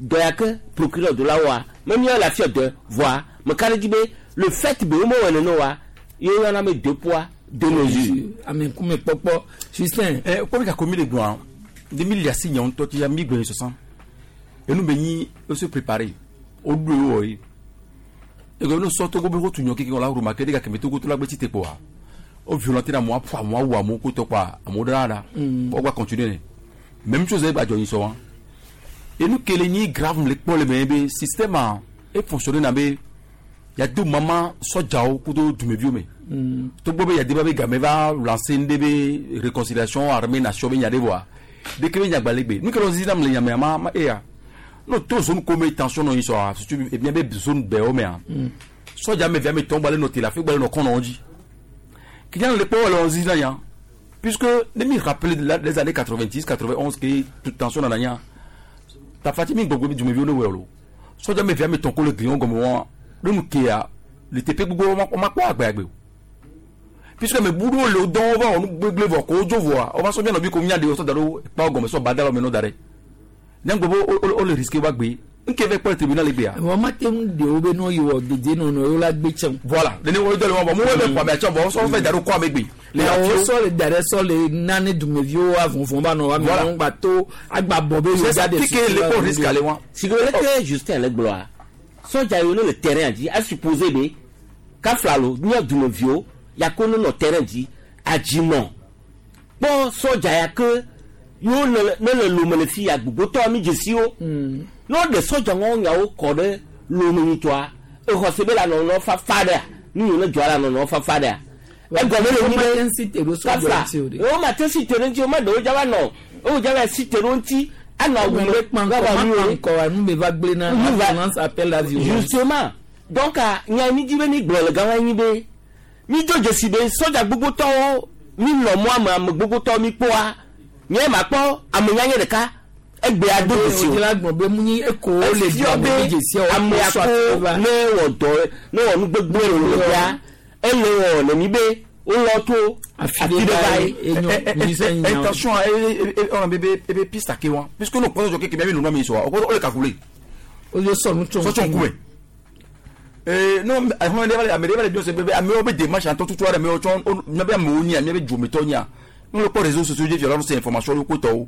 dɔ ya ke procureur de la wɔa me míawo le afi dɔ vɔa meka ɖe dzi be le fait be womewɔ nene oa ye woyɔna be deux poids deux mesures. Ame ŋkume kpɔkpɔ Justin. Ɛ kpɔmi ka komi le gbɔa de mi le asi nyawo ŋutɔ ti ya mi gbɛ sɔsɔ enu be nyi o se préparer o do ye wɔ ye ego no sɔ togo be ko tu nyɔ keke la remarquer de ka kɛmɛ togo to la gbe ti te kpɔa o violenter na amewo aƒo amewo awu amewo ko tɔ kpɔa amewo ɖe la o gba continuer ne même chose ye gba dzɔ nyi sɔ wa enu kele nyi grave le kpɔ le me be système a e fonctionner na be ya do mama sɔdzawo kudo dumeviwo me togbɔ be yade ba be game va lancer ŋɖe be réconciliation armée nation be nya ɖe vɔa ɖeke be nyagbalẽ gbe nu ke le zizi nam le nyamea ma ma eya no to zone ko me tension nɔ yi sɔa surtout ebia be zone bɛwo mea sɔdza me via me tɔn gbalẽ nɔ te le afi gbalẽ nɔ kɔnɔ wo dzi kinya le kpɔ le zizi na nya puisque ne mi rappeler les années quatre-vingt-dix quatre-vingt-onze ke toute tension nana nya tafati mi gbɔgbɔ dumeviwo ne wɔ lo sɔdza me via me tɔn ko le gli gɔme wɔn ne nu kea le teƒe gbogbo wɔn ma kpɔ agbɛagbe o puisque me buɖo le dɔn va wɔ nu gbegble vɔ ko dzo vɔa wova sɔ mianɔ bi ko mia de sɔ da ɖo kpa gɔme sɔ ba da la me nɔ da ɖe nyagbe be wo le risque wa gbe nke vɛ kpɔ le tribunal le gbea. Wọ́n ma te ŋu de wo be n'o yi wɔ dede nɔnɔ yóò la gbé tsɛn. Voilà nene wo dɔ le wɔn bɔ mo wo bɛ kɔ ame atsɔ bɔ sɔ fɛ da ɖo kɔ ame gbe. Le awo sɔ le da ɖe sɔ le nane dumeviwo avɔvɔn ba nɔ wa mi wɔn gba to agba bɔ be yóò da de. Tike le kpɔ risque ale wa. Si ke le ke Justin le gblɔa sɔdza yiwo ne le terrain dzi a supposé be kafla lo nye dumeviwo yako ne nɔ terrain dzi adzinɔ kpɔ sɔdza ya ke yewo ne le lome le fi ya gbogbotɔ mi dzesiwo ne woɖe sɔdza ŋɔ nyawo kɔ ɖe lome nyitɔa exɔse be la nɔnɔ fafa ɖea nu yiwo ne dzɔa la nɔnɔ fafa ɖea egɔme le nyi be kafla wo ma te si te ɖe ŋuti wo ma ɖewo dza va nɔ wo dza va si te ɖe ŋuti anɔ awu me gaba nu me va gblẽ na violence appelle la violence. Justement donc nya mi dzi be mi gblɔ le gama nyi be mi do dzesi be sɔdza gbogbotɔwo mi nɔ mɔa me ame gbogbotɔwo mi kpɔa nye ma kpɔ ame nyanye ɖeka egbea do dzesi o efia be ame ako ne wɔ dɔ ne wɔ nu gbegblẽ le wo ya ele wɔ le mi be wolɔ to afi ɖe va ye. Attention on bebe ebe piste ake wa puisque no kpɔtɔ jɔ keke mi nɔ mi sɔ o ko o le calculer. O le sɔ nu tsɔn sɔ tsɔn kume. Eh non ame ɖe va le biɔ se be amewo be démarche antɔ tutu aɖe amewo tsɔ miabe amewo nyia miabe dzometɔ nyia nous le réseaux sociaux dzi violence c'est information le kotɔwo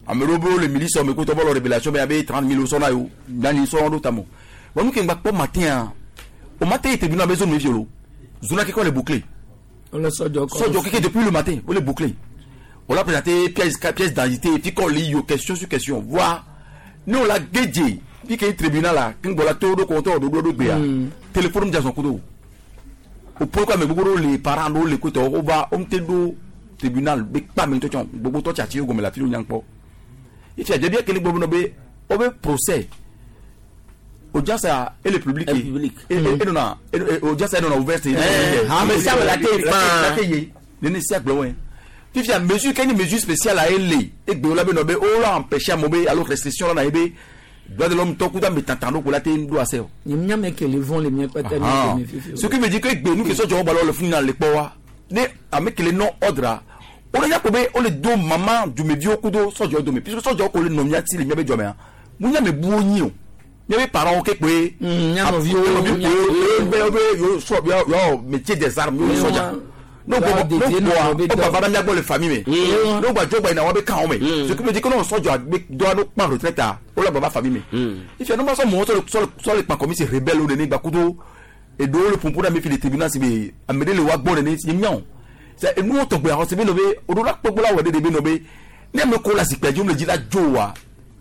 ame ɖewo be wole milice me kotɔ bɔlɔ révélation be abe trente mille sɔna yo nani sɔn ɖo tamo bon nu ke ŋgba kpɔ matin o matin yi tribunal be zone me violo zone keke wole bouclé sɔdzɔ sɔdzɔ keke depuis le matin wole bouclé on l'a présenté pièce pièce d'identité puis qu'on lit yo question sur question voir ne o la gedze puis ke tribunal la ke ŋgbɔ la to ɖo kɔntɔ ɖo ɖo gbea téléphone dza zɔn kudo o pourquoi ame gbogbo ɖewo le parents ɖewo le kotɔ wova wo ŋute ɖo tribunal be kpa ame ŋutɔ tsɔ gbogbo tɔ tsi ati gɔme le afi ɖo nyankpɔ ifi adze bi ekele gbɔ be wo be procès audience a et le public e e nana audience e nana ouverte ame sia ame la te la te ye nene sia gblɔ wɔe fifia mesure kɛ ni mesure spéciale a ye le egbe la be nɔ be o la empêcher amewo be alo restriction la na ye be droit de l'homme tɔ kuta me tantan ɖo ko la te ɖo ase o. Nye ame ke le vɔn le mía kpata mi me fifi. Ce qui veut dire que egbe nu ke sɔdzɔ balɔ le funu na le kpɔ wa ne ame kele nɔ ordre o le nyakpɔ be o le do mama dumeviwo kudo sɔdzɔ dome puisque sɔdzɔ ko le nɔ mía ti le mía be dzɔmea mu nya me buwo nyi o mía be parents ke kpoe. Nyanɔviwo be be yo sɔ yɔ métier des armes yo sɔdza n'o gbɔ n'o gbɔ o gba va mía gbɔ le famille me n'o gba dzo gba yina wa be kan wo me ce qui veut dire que n'o sɔdzɔ be dɔ n'o kpan retraite a o la gba va famille me ifi n'o ma sɔ mɔgɔ sɔ sɔ le kpan comme si rebelle o nene gba kudo eɖewo le ƒoƒo ɖe ame fi le tribunal si be ame ɖe le wa gbɔ nene ye miawo c'est nuwo tɔgbe axɔ se be nɔ be o ɖo la kpɔkpɔ la wɔ ɖe de be nɔ be ne ame ko le zikpui dzi wole dzi la dzo wa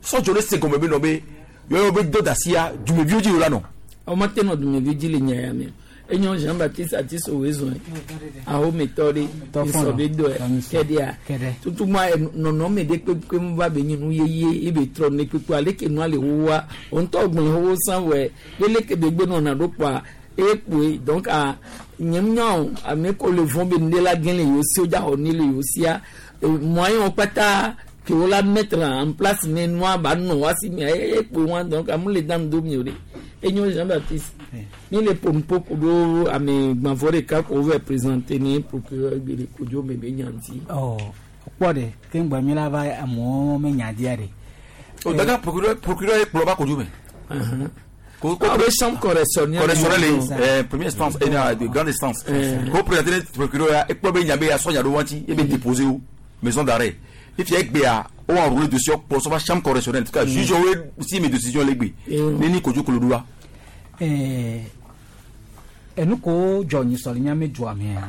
sɔdzɔ le se gɔme be nɔ be yɔyɔ be dɔ da sia dumeviwo dzi wo la nɔ. Awo ma te nɔ dumevi dzi le nya ya me. Enyo Jean Baptiste Atiso wezɔn ahometɔ ɖe misɔ be dɔe kɛɖea tutu ma nɔnɔme ɖe kpekpe mu va be nyi nu yeye ebe trɔ ne kpekpe ale ke nua le wowa ŋutɔ gblẽ wo san wɔ ye leke be gbe nɔna ɖo kpoa eye kpoe donc a nye nya o ame ko le vɔn be nu ɖe la gẽ le yewo si o dza xɔ ne le yewo sia moyen wo kpata ke wo la mettre en place ne nua ba nɔ wa si mia eye kpoe wa donc amu le dan do mi o de enyo Jean Baptiste mi le pompo kudo ame gbãvɔ ɖeka ko wova présenter ni procureur gbele kodzo me be nyanti. ɔ kpɔ de ke ŋgbɛ mi la va amewo me nya dia de. o daga procureur procureur ye kplɔ ba kodzo me. Ko ko be chambre correctionnelle correctionnelle eh première instance et de grande instance. Ko présenter procureur ya ekplɔ be nya be ya sɔ nya ɖo wanti e be déposer o maison d'arrêt. Ifi egbea o enroulé dossier pour sɔ va chambre correctionnelle en tout cas juge wo si mes décisions le gbe ne ni kodzo kolo do wa. enu ko dzɔ nyisɔ le miame dua mea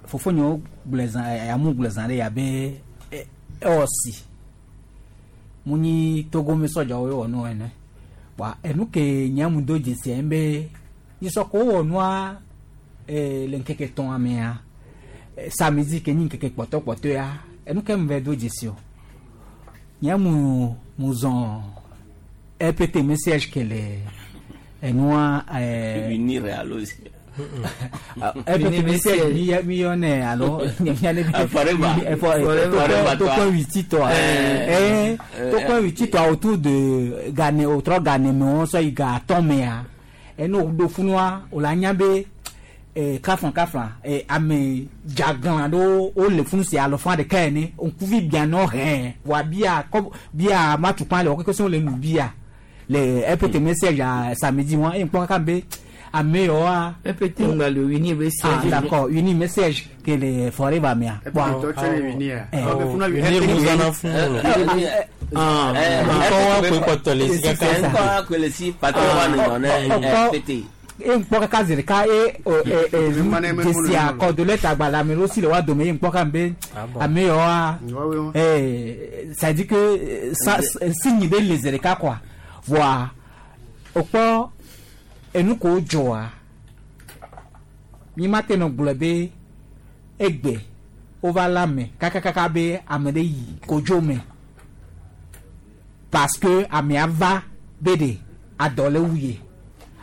fofonyewo gblẽ zã amu gblẽ zã ɖe yabe ewɔ si mu nyi togome sɔdzawo wɔ nu ene wa enu ke nye mu do dzesi en be nyisɔ ko wɔ nua le ŋkeke tɔn mea samedi ke nyi ŋkeke kpɔtɔkpɔtɔ ya enu ke mu vɛ do dzesi o nye mu mu zɔn RPT message ke le enua ɛɛ. Unir alo. RPT message mi mi yɔnɛ alo miale Forever. Forever tokpɔn witi tɔ ɛɛ tokpɔn witi tɔ autour de gane o trɔ gane me wɔn sɔ yi ga atɔn mea enu do funua o la nya be ɛɛ kaflan kaflan ɛɛ ame dzaglan ɖewo wole funu si alɔfã ɖeka ene ŋkuvi bianɔ hɛn wa bia kɔ bia matukpa le wɔ keke sɔn le nu bia le RPT message a samedi wọn e nkpɔ kaka be ame yawoa. RPT ŋgba le wini message. ah d'accord wini message ke le forever mea. RPT tɔ le wini ya. e nkpɔ kaka zi ɖeka e e dzesi akɔdo tagba ame ɖewo si le wa dome ye nkpɔ kaka be ame yawoa ee ça dit que signe ɖe le zi ɖeka quoi voa okpɔ enu ko dzɔa mi ma te nɔ gblɔ be egbe wova la me kakakaka be ame ɖe yi kodzo me parce que amea va be ɖe adɔ le wu ye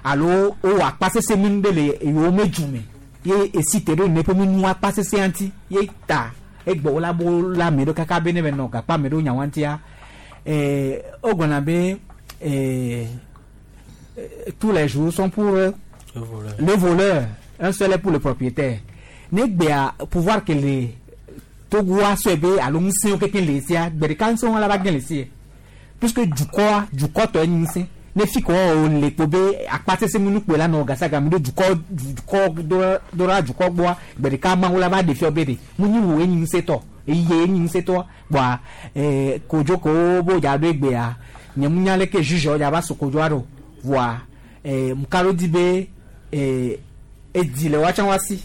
alo wowɔ akpasese mi ɖe le yewo me dzu me ye esi te ɖo ne ƒe mi nu akpasese ŋuti ye ta egbe wo la bo la ame ɖo kaka be ne be nɔ gakpa ame ɖo nyawo ŋutia ɛɛ wogblɔna be. Et, et, tous les jours sont pour le voleur. le voleur un seul est pour le propriétaire ne gbea pouvoir que le togoa sɔe be alo ŋusẽwo kekeŋ le sia gbe ɖeka ŋusẽ la va gẽ le sie puisque dukɔa dukɔ tɔ enyi ŋusẽ ne fi ko wo le kpo be akpasese mu nukpo la nɔ gasagami ɖo dukɔ dukɔ do ɖa dukɔ gbɔa gbe ɖeka mawu la va ɖe fiɔ be ɖe mu nyi wo enyi ŋusẽ tɔ eye enyi ŋusẽ tɔ kpoa ɛɛ kodzo ko bo dza ɖo egbea nye mu nya leke juge dza va sokodzo aɖo voa ɛɛ mukalo di be ɛɛ edi le woatsã wa si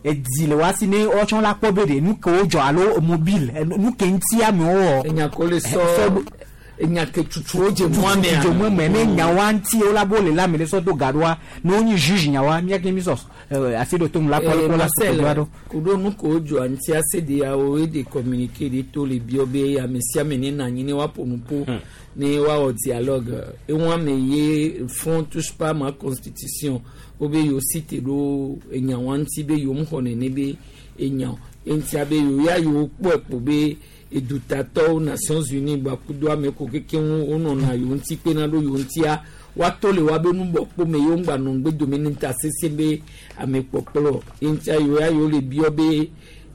edi le wa si ne woatsã la kpɔ be ɖe nu ke wo dzɔ alo mobile nu ke ŋuti amewo wɔ. enya ko le sɔ enya ke tutu dze mɔ mea dze mɔ mea ne nyawa ŋuti wo la bo le la ame ɖe sɔ do gaɖoa ne wonyi juge nyawa miake mi sɔ asi ɖo to nu la kpɔ la sokodzo aɖo. kuɖo nu ko dzɔ ŋuti ase de yawo ye de communiqué de to le biɔ be ame sia ame ne na anyi ne woaƒo nu ƒo ne woawɔ dialogue eŋu ame ye front touche pas ma constitution wo be yewo si te ɖo enyawa ŋuti be yewo xɔ nene be enya eŋutia be yewo ya yewo kpɔe kpo be edutatɔwo Nations Unies gbakudo ame ko keke ŋu wonɔna yewo ŋuti kpena ɖo yewo ŋutia woato le woabe nubɔkpo me yewo ŋgba nɔ ŋgbe dome ne ta sese be ame kpɔkplɔ eŋutia yewo ya yewo le biɔ be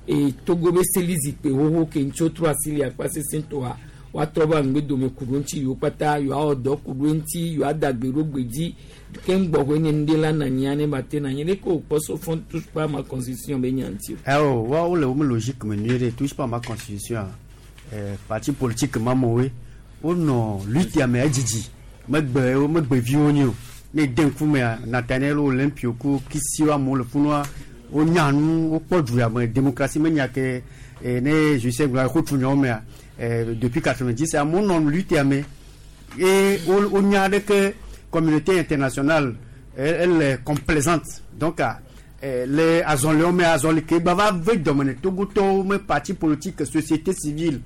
e Togo be seli zikpe xoxo ke ŋuti wotrɔ asi le akpa sese tɔa woatrɔ va ŋgbe dome ku ɖo ŋuti yewo kpata yewoawɔ dɔ ku ɖo ŋuti yewoada gbe ɖo gbe dzi ke ŋgbɔxɔe nye nu ɖe la na anyia ne ba te na anyi ɖe ke wòkpɔ so fɔ touche pas ma constitution be nya ŋuti o. ɛwɔ wa wole wo me logique me nyuie ɖe touche pas ma constitution eh, parti politique ma me woe wonɔ lutte me edzidzi megbe wo megbe viwo nyi o ne de ŋkumea Nathaniel Olympio ku kisiwo amewo le funua wonya nu wokpɔ du ya me démocratie menya ke eh, ne Justin gblɔ xotsu nyawo mea eh, depuis quatre-vingt-dix amewo nɔ lutte me ye wonya ɖe ke communauté internationale Elle est complaisante. Donc le azɔliwo me azɔli ke gba va ve dɔme ne Togotɔwo me parti politique, société civile,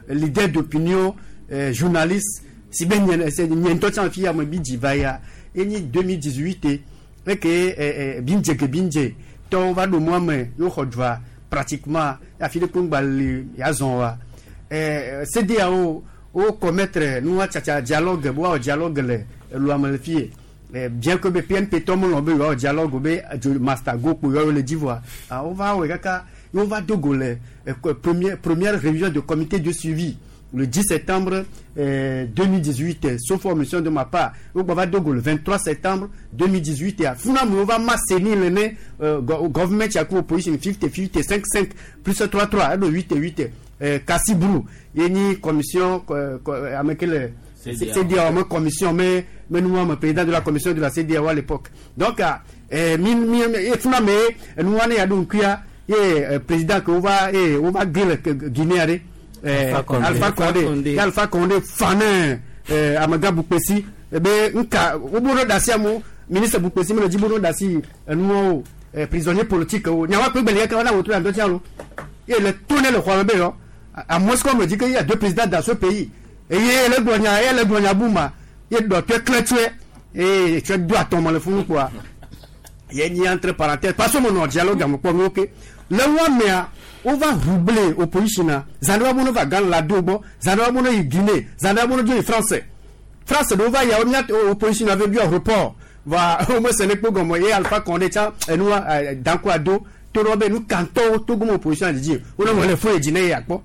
leader d'opinion, euh, journaliste si be nye nye ŋutɔ tsã fi ya me bi dzi va ya enyi deux mille dix-huit eke eh, eh, bindze ke bindze tɔwo va ɖo mɔa me yewo xɔ dua pratiquement afi ɖe kpo ŋgba li yazɔn wa eh, C D A O wo commettre nua tsatsa dialogue bo woawɔ dialogue le elua me le fie. Eh, bien que be P N P tɔ melɔ̃ be yewoawɔ dialogue be dzo master go kpo yewoawo le dzi voa, ah, wova wɔe kaka ye wova do go le eh, première première réunion de comité de suivi le dix septembre euh, deux mille dix-huit, sauf omission de ma part. Wogba va do go le vingt-trois septembre deux mille dix-huit ya funa me wova ma seni le ne euh, government ya ku opposition cinquante cinquante, cinq cinq plus trois trois eɖo huit huit. euh, Kassi Brou ye nyi commission ame ke le C D A O me commission me me nua me président de la commission de la C D A O à l'époque. Donc euh, mi mi funa me nua ne ya ɖo ŋkuya ye euh, président ke wova ye wova gé le Guinée ɖe eh, Alpha Condé, Alpha Condé fane eh, amega Boukpessi ebe nka wobo no dasi amu ministre Boukpessi mele dzi bo no dasi enuwo eh, prisonnier politique wo nyawa kpe gbeli keke wana wotro ya ŋdɔ tia lo ye le to ne le xɔ me be yɔ à moins qu'on me dit qu'il y a deux présidents dans ce pays eye le gblɔ nya ye le gblɔ nya bu ma ye dɔtɔe klẽ tsɔe eye tsɔe do atɔmɔ le funu kpoa ye nyi entre parenthèses parce que mo nɔ dialogue ame kpɔ mi ok le wa mea wova rouble opposition na zan ɖe wa bo va Ghana la do gbɔ zan ɖe wa bo no yi Guinée zan ɖe wa bo no dzo yi France France ɖewo va ya wo mía opposition na ve biɔ report va wo mese ne kpo gɔmɔ ye Alpha Condé tsã enua danko ado to ɖe be nu kantɔwo Togo me opposition dzidzi wo ne wɔ le fo ye dzi ne ye akpɔ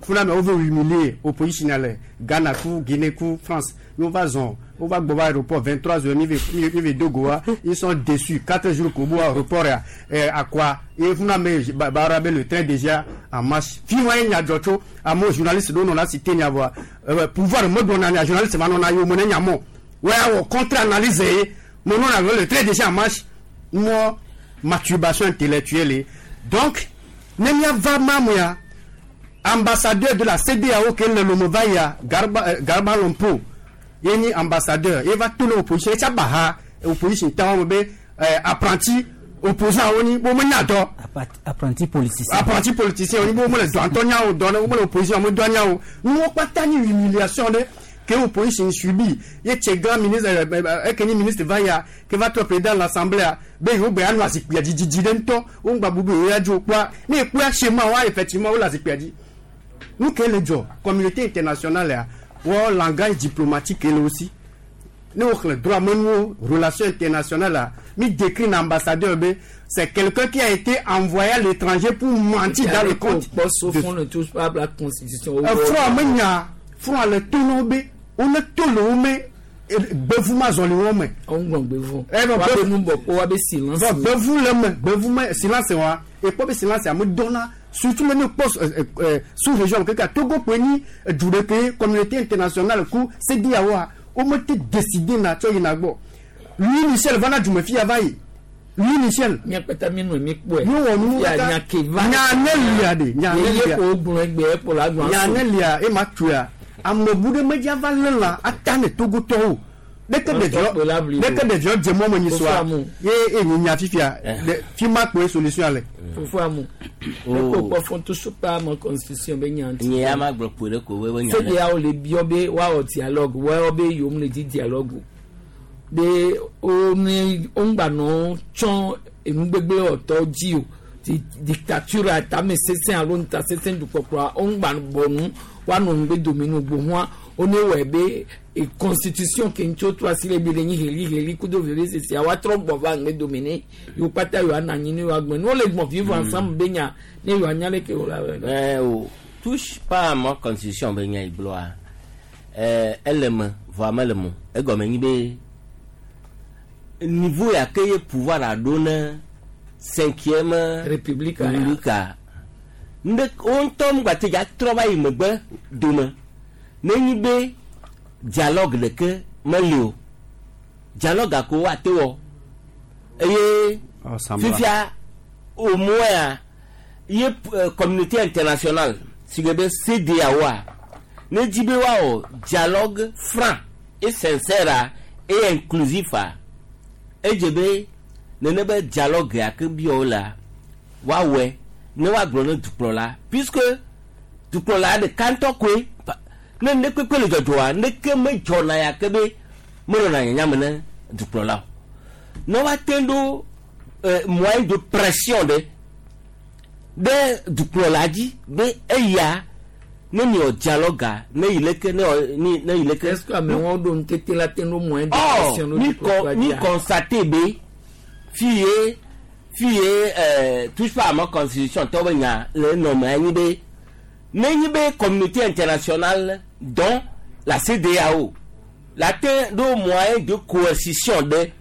funa me wove humilier opposition le Ghana ku Guinée ku France ye wova zɔn wova gbɔ va aéroport vingt-trois heures mi ve mi ve do go wa ils sont déçus quatre jours ko bo aéroport ya eh, akwa ye funa me baara be le train déjà en marche fi wa ye nya dzɔ tso amewo journaliste ɖewo nɔ la cité nya vɔa euh, pouvoir me gblɔna nya journaliste va nɔna yewo me ne nya mɔ wo ya wɔ contre analyse ye me nɔna le train déjà en marche mɔ masturbation intellectuelle. Donc ne miava mamu ya ambassadeur de la C D A O ke le Lomé va ya Garba euh, Garba Lompo ye nyi ambassadeur ye va to ne opposition etsa ba ha opposition ta wɔn be euh, apprenti opposant wo ni bo me nya dɔ. Apprenti politicien. Apprenti politicien wo ni bo me le dɔntɔ nya o dɔ ne wo me le opposition me dɔ nya o nuwo kpata nyi humiliation ɖe ke opposition subi ye tse grand ministre eke nyi ministre va ya ke va trɔ président de l'assemblée be yewo gbe anɔ azikpuia dzi dzidzi ɖe ŋutɔ wo ŋgba bubu yewo ya dzo kpoa ne ekpoa schéma wa effectivement wo le azikpuia dzi nu ke le dzɔ communauté internationale ya wɔ langage diplomatique le aussi ne wo xlẽ droit menuwo relation internationale la mi décrit na ambassadeur be c'est quelqu'un qui a été envoyé à l'étranger pour mentir dans le compte. Sauf on ne touche pas à la constitution. Front me nya front le to no be wo ne to le wo me gbevu ma zɔli wo me. Ɔn gbɔn gbevu. Wa be nu bɔ ko wa be silence. Bɔn gbevu le me gbevu me silence wa ekpɔ be silence ame dɔnna surtout le ne kpɔ sous région keke Togo kpe nyi du ɖeke communauté internationale ku C D A O wa wo me te décider na tsɔ yina gbɔ Louis Michel va na dume fia va yi Louis Michel. Miakpata mi nɔ mi kpɔe. Mi wɔ nu kaka nya ke va. Nya ne lia de nya ne lia. Ye ko gblɔ egbe ekpo la gblɔ. Nya ne lia ema tuya ame bu ɖe medza va lé lã ata ne Togotɔwo ɖeke ɖeviɔ ɖeke ɖeviɔ dze mɔ me nyi soa ye ye nyi nya fifia fi ma kpoe solution le. Fofo amu eko kpɔ fɔ to supa ma constitution be nya ŋuti. Nye ya ma gblɔ kpo ɖe ko be nya. C D A O le biɔ be woawɔ dialogue wɔwɔ be yom le di dialogue be wo ne wo ŋgba nɔ tsɔ enugbegble wɔtɔ dzi o dictature tame sesẽ alo ŋuta sesẽ dukpɔkplɔa wo ŋgba bɔ nu woanɔ ŋugbe dome nu gbohua wo ne wɔe be constitution ke ŋuti wotrɔ asi le bi le nyi heli heli kudo veve sesia woatrɔ gbɔ va ŋugbe dome ne yewo kpata yewoa nɔ anyi ne yewoa gblɔ ne wole gbɔn vivre ensemble be nya ne yewoa nya leke wo la. Ɛɛ o touche pas à ma constitution be nya yi gblɔa ɛɛ ele me vɔa mele mo egɔme nyi be niveau ya ke ye pouvoir aɖo ne cinquième république république nde wo ŋutɔ ŋgba te dza trɔ va yi megbe dome ne nyi be dialogue ɖeke meli o dialogue ko woate wɔ eye fifia au moins ye communauté internationale si ke be C D A O a ne dzi be woawɔ dialogue franc et sincère et inclusif a Edze be nene be dialogue ya ke biɔ la woawɔe ne woagblɔ ne dukplɔla puisque dukplɔla ɖeka ŋutɔ koe pa- ne ne kpekpe le dzɔdzɔa neke medzɔna ya ke be menɔna nyanya me ne dukplɔla o ne woate ɖo eh, moyen de pression ɖe ɖe dukplɔla dzi be eya ne miwɔ dialogue ne yi leke ne wɔ ne ne yi leke. Est-ce que amewo ɖo ŋutete la te ɖo moyen de Or, pression ɖo mi dukplɔla con mi dzia? constate be fi ye fi ye euh, touche pas à ma constitution tɔ be nya le nɔme anyi be ne nyi be communauté internationale dont la CEDEAO la te ɖo moyen de coercition ɖe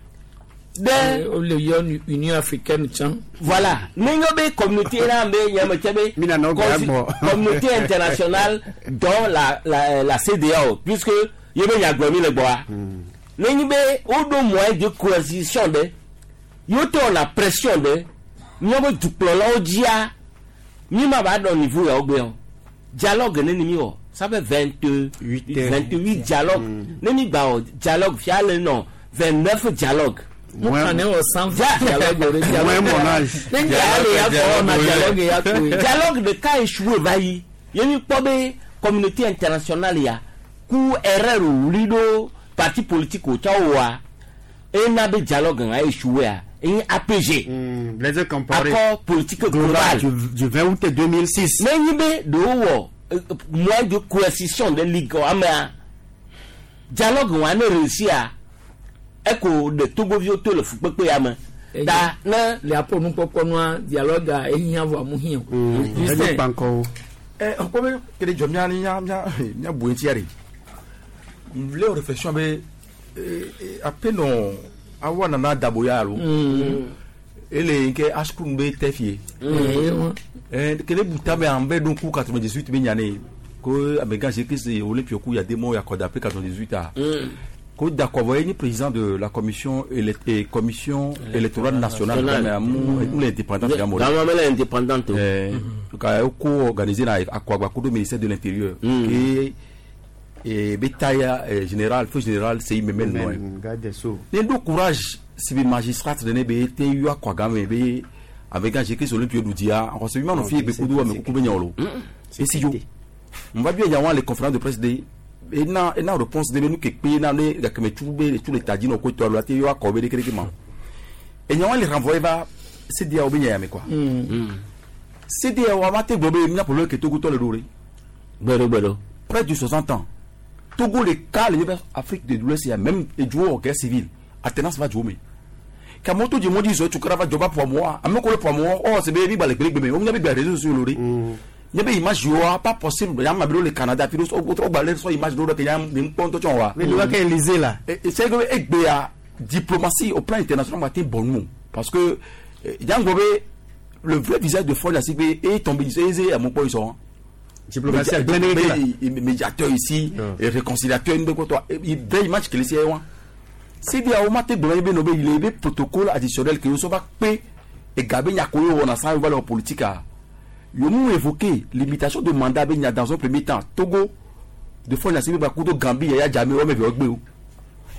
ɖe. Wole yɔ Union africaine tsã. Voilà. Ne nyɔ be communauté na be nyame tse be gbɔ consi- agbɔ. communauté internationale dont la la la CEDEAO puisque ye be nya gblɔ mi le gbɔa. Ne nyi be woɖo moyen de coercition ɖe yewo te wɔna pression ɖe míaƒe dukplɔlawo dzia mi ma va ɖɔ niveau yawo gbe o dialogue ne ni mi wɔ ça fait vingt vingt huit dialogue ne mi gba wɔ dialogue fia le nɔ vingt neuf dialogue. Mo kàn ne wɔ cent vingt dialogue o de dialogue. Ne dialogue ya fɔ na dialogue ya koe. dialogue ɖeka échoué va yi ye mi kpɔ be communauté internationale ya ku erreur wuli ɖo parti politique wo tsɔ wɔa ena be dialogue ŋa échoué a enye APG. Blaise Compaoré. Accord politique global. Du, du vingt août deux mille six. Ne nyi be ɖewo wɔ eh, moyen de coercition de ligue amea dialogue wa ne réussi a eko ɖe togoviwo to le fukpekpe ya me ta ne. Le aƒo nukpɔkpɔ nua dialogue a ehiã vɔ amu hiã o. Justin. ɛ ɔkpɔ be kele jɔ mía mía mía mía bu ŋutia de lé o réflexion be apenɔ awa nana dabo ya alo ele nke asukun be tɛ fie ɛ kele buta be an bɛ don ku quatre-vingt-dix-huit be ɲane ko amegan se kese olympio ku yademo yakɔda pe quatre-vingt-dix-huit a ko d'accord ye ni président de la commission élect eh, commission électorale nationale Nationale. amu ou l'indépendante Gama mele indépendante o. Eh, ka ko organisé na akwagba kudo ministère de l'intérieur ke e be taya eh, général feu général sei memel no Garde des Sceaux. ne do courage sibi magistrat de ne be te yu akwaga me be avec un jekes olympio dudia en se mi fi be kudo me kuku be nyolo e si yo on va bien y avoir les conférences de presse de et na et na réponse de nous ke pe na ne ga ke me tu be tous les tadino ko to lo te yu akobe de kereke ma et nyawa les renvoyer va CDA ou bien yame quoi CDA wa ma te gbobe mi na problème ke Togo to le dore gbero gbero près de soixante ans Togo le cas le Afrique de l'Ouest il y a même et jouer au guerre civile Athénas va jouer mais kamoto di modi zo tukara va joba pour moi ameko le pour moi oh c'est baby balek balek bébé on y a des réseaux sociaux lori il y a image yo pas possible ya ma le Canada puis au au balé so image do que ya mi ponto tchon Mais le gars qui est Élysée, là. et c'est que e gbea diplomatie au plan international va être bon nous parce que yango le vrai visage de Faure Gnassingbé est tombé et à mon point ils sont Diplomatie à plein Média- médiateur ici et réconciliateur une quoi il vraie image qu'il est c'est à mate gblɔ be no be yile be protocole additionnel ke so va kpe ega be nya ko ye wɔna san valeur politique a yomu évoqué limitation de mandat be nya dans un premier temps Togo de Faure Gnassingbé ba kudo Gambie Yaya Jammeh wɔme ve wɔgbe o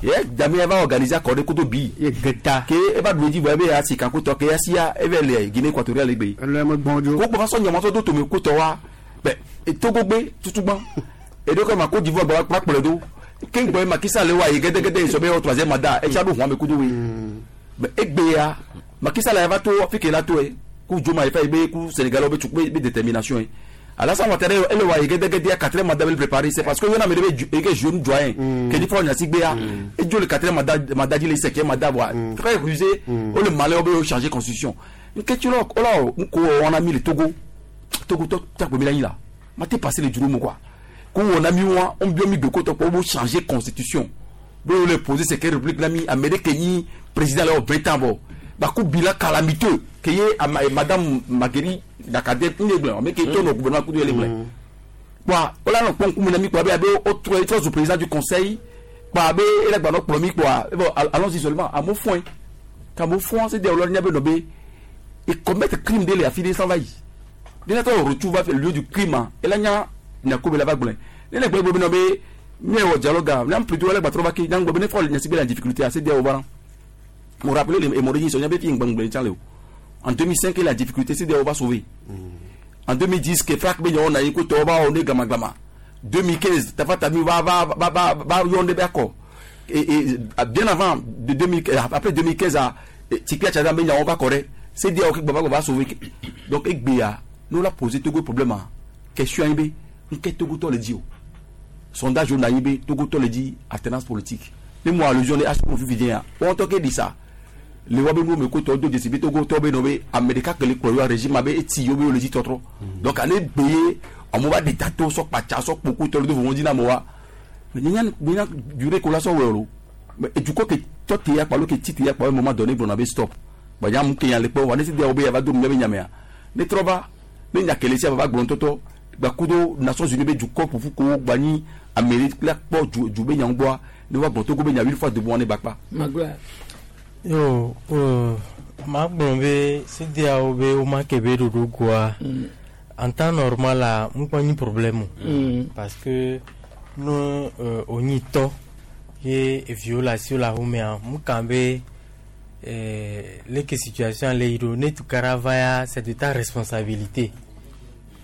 Yaya Jammeh va organiser accordé kudo bi ke eva do dzi vɔ ebe ya sika kutɔ ke ya sia eve le Guinée équatoriale gbe ko gbɔ va sɔ nyamɔtɔ do tome kutɔ wa bɛ Togo gbe tutugbã eɖo ma Côte d'Ivoire gba kplɔ kplɔe do ke ŋgbɔ Macky Sall wa yi gɛdɛgɛdɛ sɔ be yɔ troisième mandat etsa ɖo huame kudo we mɛ egbea Macky Sall va to Afrique la to ye ku Djoma yi fa yi be ku Sénégal be tukpe be détermination ye Alassane Ouattara ele wa yi gɛdɛgɛdɛ quatrième mandat be préparé c'est parce que yɔna me de be eke jeune doyen ke di Faure Gnassingbé ya edzo le quatrième mandat mandat di le cinquième mandat wa très rusé o le Malais o be changer constitution nketsi lɔ o la o nko wɔna mi le Togo Togo tɔ tagbe mi la nyi la ma te passé le juru mu quoi ko wɔna mi wa on bi mi gbeko tɔ ko o changer constitution be o le poser c'est quelle république la mi Amérique nyi président la o vingt ans bɔ baku bila calamiteux ke ye ama- madame Marguerite Dakade n ye gblẽ ame ke tɔ nɔ gouvernement kudo ye le gblẽ kpoa wola nɔ kpɔm ŋkume na mi kpoa be abe wotrɔ trɔ zu président du conseil kpoa abe ele gba nɔ kplɔ mi kpoa e bon allons-y seulement amewo fɔe k'amewo fɔa c'est de wòle nya be nɔ be e commettre crime de le afi ɖe san va yi de ne tɔ retrouve va lieu du crime a ela nya nyako be la va gblẽ ne le gblẽ gblẽ be nɔ be mi wɔ dialogue a mi plutôt ele gba trɔ va ke nya gblɔ be ne Faure Gnassingbé la difficulté a c'est de wo va na Mo rappeler les Morigi sont bien fi ngbangbe tchan en deux mille cinq la difficulté c'est de on va sauver. En deux mille dix que frak be on a écouté on va on est gama gama. deux mille quinze Tafa-Tami va va va va va yonde d'accord. Et, et bien avant de deux mille après deux mille quinze à Tikpia Tchadam be on va correr. C'est dire que baba va sauver. Donc Egbeya nous l'a posé Togo problème question B qu'est Togo to le dit sondage on a B Togo to le dit alternance politique. Mais moi allusion les H pour vivre on to dit ça. Le wabe nous me koto do décider Togo to be no be America que le croyant régime abe eti yo be le dit trop. Donc aller payer on va des tato so pacha so beaucoup to le vont dire na moi. Mais n'y a n'y a durée collation wero. Mais du coup que toi tu ya pas le que tu ya pas un moment donné vous n'avez stop. Ba ya mu ke ya le po wa ne si de obe ya va do me nyamea. Ne troba ne nya kele si va gbon toto ba kudo Nations Unies be du corps pour ko gbani Amérique la po du du be nyangboa ne va gbon Togo be nya huit fois de bon ne bakpa. Magla. Yo, euh, ma gblɔ CEDEAO be woma ke be ɖoɖo goa, en temps normal la, ŋkpɔ nyi problème o. Parce que ne euh, onyi tɔ ye eviwo le asiwo le ahomea, mu kan be euh, leke situation le yi ɖo, ne tukara va ya, c'est de ta responsabilité.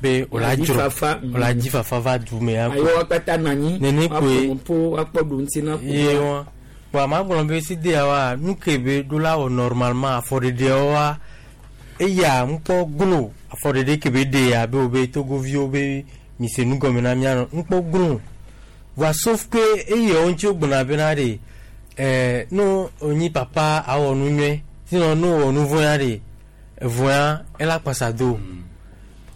Be o la dzro, o la dzi fafa va du me ya. Ayo wakpata nanyi, nene koe, wakpɔ wakpɔ ɖu ŋuti na. Ye wa. Bon, ma gblɔ be CEDEAO wa nu ke be ɖo la wɔ normalement afɔɖeɖewo wa eya ŋkpɔ glo afɔɖeɖe ke be ɖe ya be wo be Togoviwo be mise nu gɔme na mía nɔ ŋkpɔ glo voa sauf que eyawo ŋuti wogbɔna bena ɖe ɛɛ no onyi papa awɔ nu nyuie sinon no wɔ nu vɔ̃ ya ɖe evɔ̃a ela kpasa do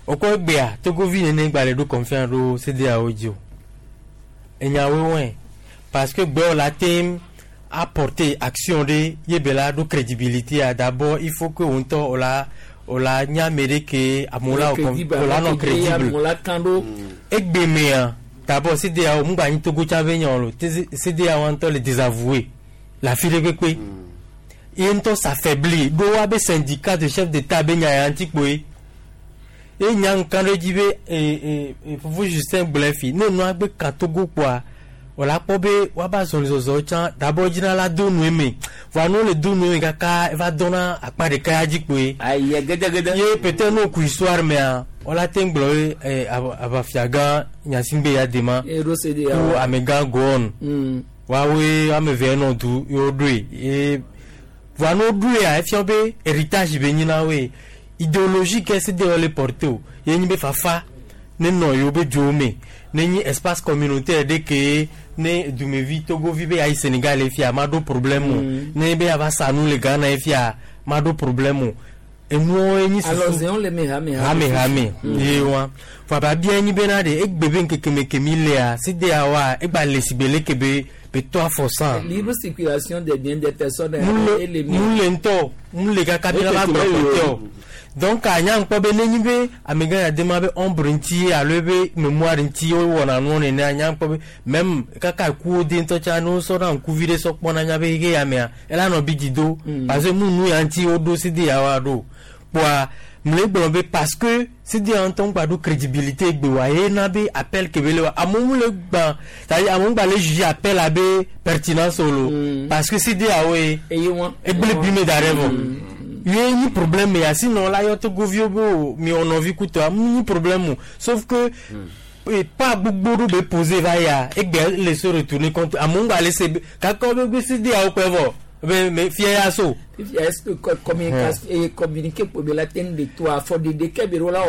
wokɔ egbea Togovi nene gba le ɖo confiance ɖo CEDEAO dzi o enyawoe wɔe parce que gbewo la tem apporter action de yebela do crédibilité d'abord il faut que on to ola ola nyamere ke amola ola non crédible egbemea d'abord CEDEAO mugba nyi Togo tsa be nyawo CEDEAO antɔ le désavoué la fille kpekpe ye ŋutɔ s'affaiblit do wa be syndicat de chef d'état be nya ya ŋuti kpoe ye nya ŋka ɖe dzi be e e Fofo Justin gblɔe fi ne nua gbe ka Togo kpoa wòle akpɔ be woaba zɔlizɔzɔ tsã dabɔ dzina la do nu eme voa ne wole do nu eme kaka eva dɔna akpa ɖeka ya dzi kpoe. Ayi gedegede. Ye peut-être ne woku histoire mea wola te gblɔ be ɛ aʋafiagã Nyasigbe ya dema ku amegã Gowon woawoe ame eve nɔ du ye woɖoe ye voa ne woɖoea efia be héritage be nyi na woe idéologie ke CEDEAO le porter o ye nyi be fafa ne nɔ yewo be dzowo me ne nyi espace communautaire ɖe ke ne dumevi Togovi be ayi Sénégal efia ma ɖo problème o ne be ava sa nu le Ghana efia ma ɖo problème o enuwo enyi susu hame hame hame ye wa fɔ abia enyi bena ɖe egbe be ŋkeke kemi lea CEDEAO wa egba le sigbe leke be be tɔ afɔ san. Libre circulation des biens des personnes. Mu le ŋutɔ mu le kaka bi la va gbɔ kɔtɛ o. Donc anya ŋkpɔ be nenyi be amegã ya dema be ombre ŋuti alo be mémoire ŋuti wowɔna nuwo nene anya ŋkpɔ be même kaka kuwo de ŋutɔ tsa ne wosɔ na ŋkuvi ɖe sɔ kpɔna nya be xexe ya mea ela nɔ bi dzi do parce que mu nu ya ŋuti woɖo CEDEAO wa ɖo kpoa mle gblɔ be parce que CEDEAO ŋutɔ ŋgba ɖo crédibilité gbe wa ye na be appel ke be le wa amewo le gbã c'est-à-dire amewo ŋgba le juger appel abe pertinence o lo parce que CEDEAO ye egble bi me da ɖe vɔ. Ye nyi problème ya sinon la yɔ Togoviwo be o miwɔ nɔvi kutɔa mu nyi problème o sauf que mm. pas gbogbo ɖo be poser va ya egbe le se retourner contre amewo ŋgba le se kaka wo be gbe CEDEAO kpe vɔ be me fia ya so. Est-ce que communication et communiquer pour la tête de toi faut de de kebiro la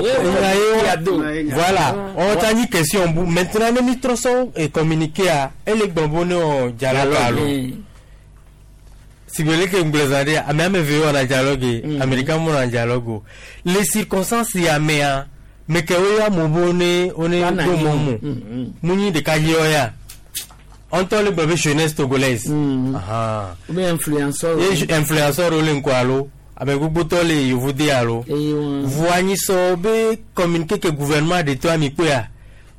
voilà on t'a dit question bu maintenant ne mi trɔ sɔ et communiquer a ele gbɔn ne o dialogue alo. Sibele ke nglezade ame ame ve wona dialogue américain mo na dialogue les circonstances ya mea me ke wo ya mo bo ne one do mo mo munyi de ka yo ya on to le bébé jeunesse togolaise aha ou bien influenceur ye influenceur o le nko alo ame gbogbo to le yovude alo voanyi so be communiquer que gouvernement de toi mi kpoya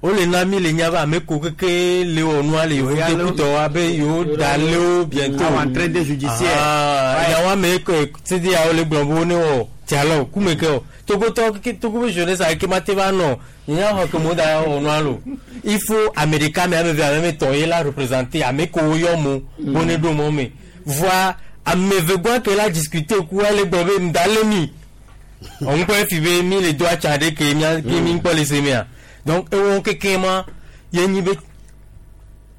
o le na mi le nya ba ame ko keke le wɔ nua le yovude kutɔ wa be yewo da le wo bientôt entraîne judiciaire ya wa me ko CEDEAO le gblɔ be wo ne wɔ dialogue kume ke o Togotɔ keke Togo be jeunesse ake ma te va nɔ nya xɔ ke mo da wɔ nua lo il faut américain me ame ve ame me tɔ ye la représenter ame ko wo yɔ mo bo ne ɖo mɔ me voa Ame eve gbɔ ke la discuter ku ale gbɔ be ŋda le mi. On peut fi be mi le doit tchade ke mi ke mi kpɔ le se mea. Donc ewɔ keke ma ye nyi be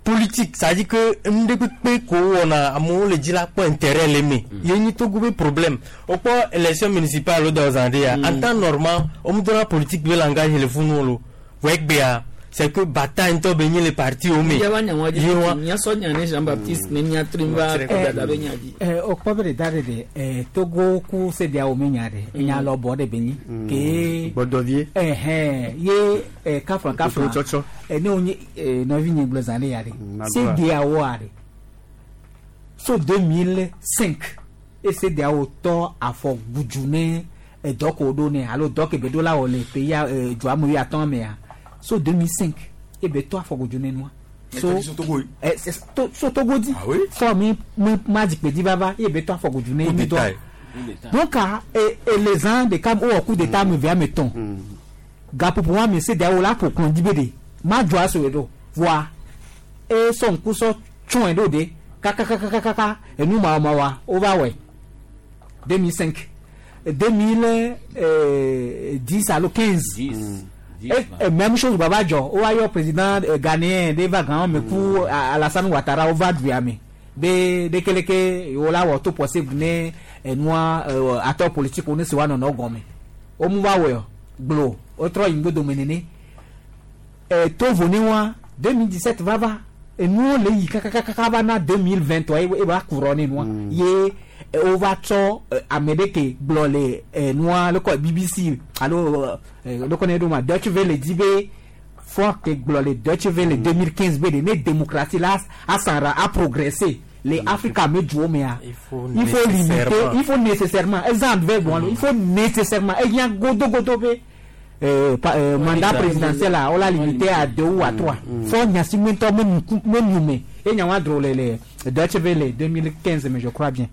politique, ça dit que nde kpekpe ko wɔna amewo le dzi la kpɔ intérêt le me. Ye nyi Togo be problème. O kpɔ élection municipale wo da zan de ya. En temps normal, o mu dɔnna politique be langage le funu lo. Vɔ egbea, c'est que bataille ŋutɔ be nyi le parti wo me. Ye wa nya wa dzi Ye wa- mía sɔ nya ne Jean Baptiste ne mía tri va dada be nya dzi. Eh, o kpɔ be ɖe da ɖe ɖe eh, Togo ku CEDEAO me nya ɖe enya lɔbɔ ɖe be nyi ke gbɔdɔvie ɛhɛn ye eh, kafla kafla Tsɔtsɔ. eh, ne wonye eh, nɔvi nye gblɔ zã ɖe ya ɖe na CEDEAO a ɖe so deux mille cinq e CEDEAO tɔ afɔ gudzu ne edɔ ko ɖo ne alo dɔ ke be ɖo la wɔ le pays eh, dua me wuiatɔ̃ mea so deux mille cinq e be tɔ afɔ gudzu ne nua so eh, c'est- to- so Togo di fɔ mi mi ma dzikpe dzi vava ye be tɔ afɔ gudzu ne Coup mi d'État dɔ donc ah, e e les ans de kam wowɔ coup d'état ame eve ame etɔ̃ gaƒoƒo wa me CEDEAO la ƒo kplɔ dzi be de ma dzɔ aso ɖo voa e sɔ ŋku sɔ tsɔe ɖo de kakakakakaka enu mawamawa wova wɔe deux mille cinq deux mille dix alo quinze e e même chose baba dzɔ wova yɔ président eh, ghanéen ɖe va gã me ku A- Alassane Ouattara wova duya me be ɖekeleke wo la wɔ to possible ne enua eh, acteur politique wo ne si wa nɔnɔ gɔme wo mu va wɔe gblɔ wotrɔ yi ŋgbodome nene eh, tovo ne wa deux mille dix sept va va enuwo le yi kakakaka va na deux mille vingt trois e va kurɔ ne nua ye eh, wova tsɔ eh, ame ɖe ke gblɔ le eh, nua lekɔ B B C alo eh, lekɔ ne ɖo ma Deutsche Welle di be fɔ ke gblɔ le Deutsche Welle deux mille quinze be de ne démocratie la asanra a progressé le Afrika me duwo mea Il faut il faut limiter nécessairement. il faut nécessairement exemple vɛ gbɔn il faut nécessairement ehiã godogodo be euh, pa, euh, mandat présidentiel la on l'a limité à deux ou à trois fɔ nyasi ŋutɔ me nuku me nume ye nya wa dro le le Deutsche Welle deux mille quinze mais je crois bien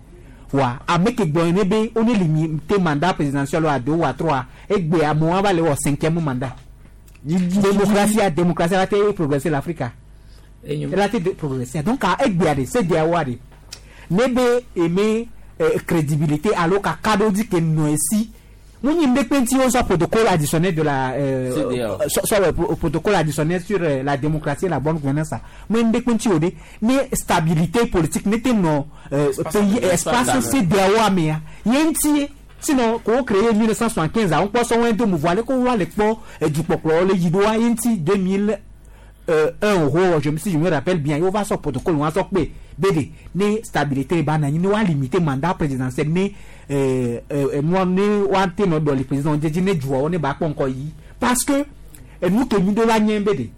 wa ame ke gblɔ ne be wo ne limité mandat présidentiel à deux ou à trois egbe amewo va le wɔ cinquième mandat démocratie a démocratie la te progresser l'Afrique la te de- progresser donc a egbea de CEDEAO a de ne be eme eh, crédibilité alo kakaɖo dzi ke nɔ esi mu nyi ŋɖe kpe wo sɔ protocole additionnel de la euh, C D A O. sɔ sɔ euh, pro- protocole additionnel sur euh, la démocratie et la bonne gouvernance mu ŋɖe kpe o de ne stabilité politique ne te nɔ euh, pays espace CEDEAO amea ye ŋuti sinon ko créé mille neuf cent soixante quinze a ŋkpɔ sɔ wɔn do mouvement ale ko wa le kpɔ edukpɔkplɔ le yi ɖo wa ye ŋuti deux mille euh, un euro je me si je me rappelle bien ye wova sɔ protocole wa sɔ kpe be de ne stabilité ba na anyi ne wa limiter mandat présidentiel ne euh, euh, nua ne wa te nɔ dɔ le président dzedzi ne dzuawo ne ba kpɔ ŋkɔ yi parce que enu ke mi ɖo la nye be de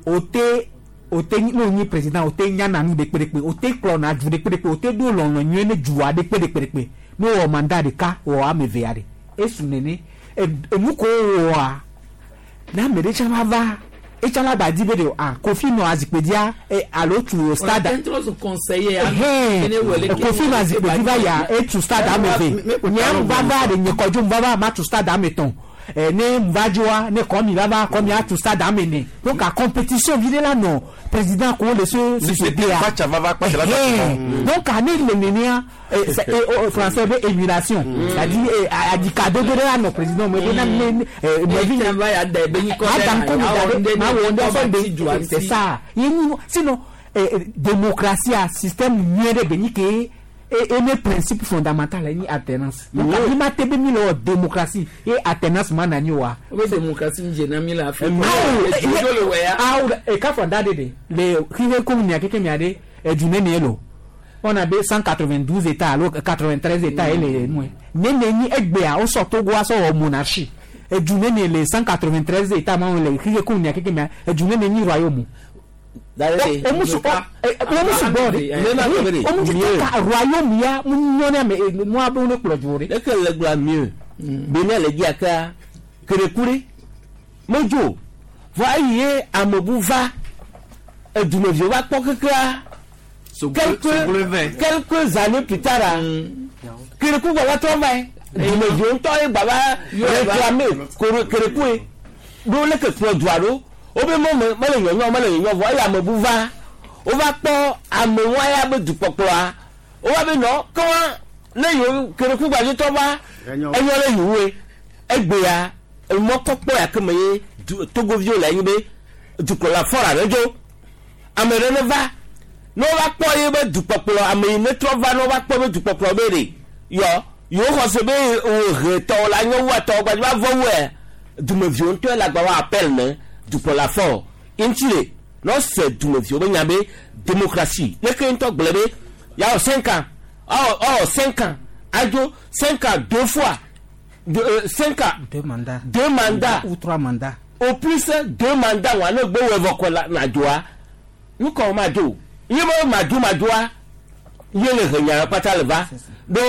o te o te ne o nyi président o te nyana nu ɖekpeɖekpe o te kplɔna du ɖekpeɖekpe o te ɖo lɔlɔ nyuie ne dua ɖekpeɖekpeɖekpe ne wɔ mandat ɖeka wɔ ame evea ɖe esu nene enu ko wɔa ne ame ɖe tsã va va etsã la ba di be de ah Kofi nɔ azikpui dzia e alo tu stade Trɔ zu conseiller. Ɛhɛn, Kofi nɔ azikpui dzi va ya etu stade ame eve nye va va ɖe nye kɔdzo va va ma tu stade ame etɔ̃ ɛ ne va dzoa ne kɔmi va va kɔmi atu stade ame ene donc a compétition vi ɖe la nɔ président ko le se succéder a Kpacha va va kpacha la Ɛhɛn. Donc ane le nenea eh, c'est- eh, oh, français be émulation c'est-à-dire eh, adi kadodo ɖe la nɔ président me be na ne ne eh, nɔvi Etsã va ya da ebe nyikɔ ɖe ma da ŋkɔ mi da ɖe ma wɔ ŋdɔ sɔ de c'est ça ye nyi sinon eh, eh, démocratie a système nyuie ɖe be nyi ke e ene principe fondamental ye nyi alternance donc mi ma te be mi le wɔ démocratie ye alternance ma na nyi wa. O be démocratie ń jena mi le Afrique. Awo Edzo le wɔ ya. awo eka fɔ da de de le xixe ko mia keke mia de edu ne ne lo on a be cent quatre-vingt-douze états alo quatre-vingt-treize états ye le nu ye ne ne nyi egbea wosɔ Togo asɔ wɔ monarchie edu ne ne le cent quatre-vingt-treize états ma le xixe ko mia keke mia edu ne ne nyi royaume omusu omusu gbɔ de omusu ka royaume ya mu nyɔ ne ame mu abe ne kplɔ dzo de. Leke le gblɔa mieux Benin le dzia kea kereku ɖe medzo vɔ eyi ye amebu va edumeviwo va kpɔ kekea quelques quelques années plus tard a kereku gba va trɔ va ye dumeviwo ŋutɔ ye gba va réclamer kore- kereku ye ɖo leke kplɔ dua ɖo wobe mɔ me mele nyɔnyɔ mele nyɔnyɔ vɔ eye amebu va wova kpɔ amewo ya be dukpɔkplɔa o wa be nɔ kɔn ne yewo kereku gbadzotɔ va enyɔ le yewoe egbea emɔkpɔkpɔ ya ke me ye togoviwo le anyi be dukplɔla fɔra ɖe dzo ame ɖe ne va ne wova kpɔ ye be dukpɔkplɔ ame yi ne trɔ va ne wova kpɔ be dukpɔkplɔ be ɖe yɔ yewo xɔ se be wo he tɔwo la nye wu atɔwo gbadze va vɔ wue dumeviwo ŋutɔ le agba wa appel ne dukplɔla fɔ ŋuti le ne wose dumeviwo be nya be démocratie ne ke ŋutɔ gblɔ be yawɔ cinq ans ɔ ɔ cinq ans adzo cinq ans deux fois deux, euh, cinq ans deux mandats deux mandats ou trois mandats au plus deux mandats wa ne gbe wɔ vɔ kɔ la na dzoa nukɔ ma dzo ye be ma dzo ma dzoa ye le he nya kpata le va do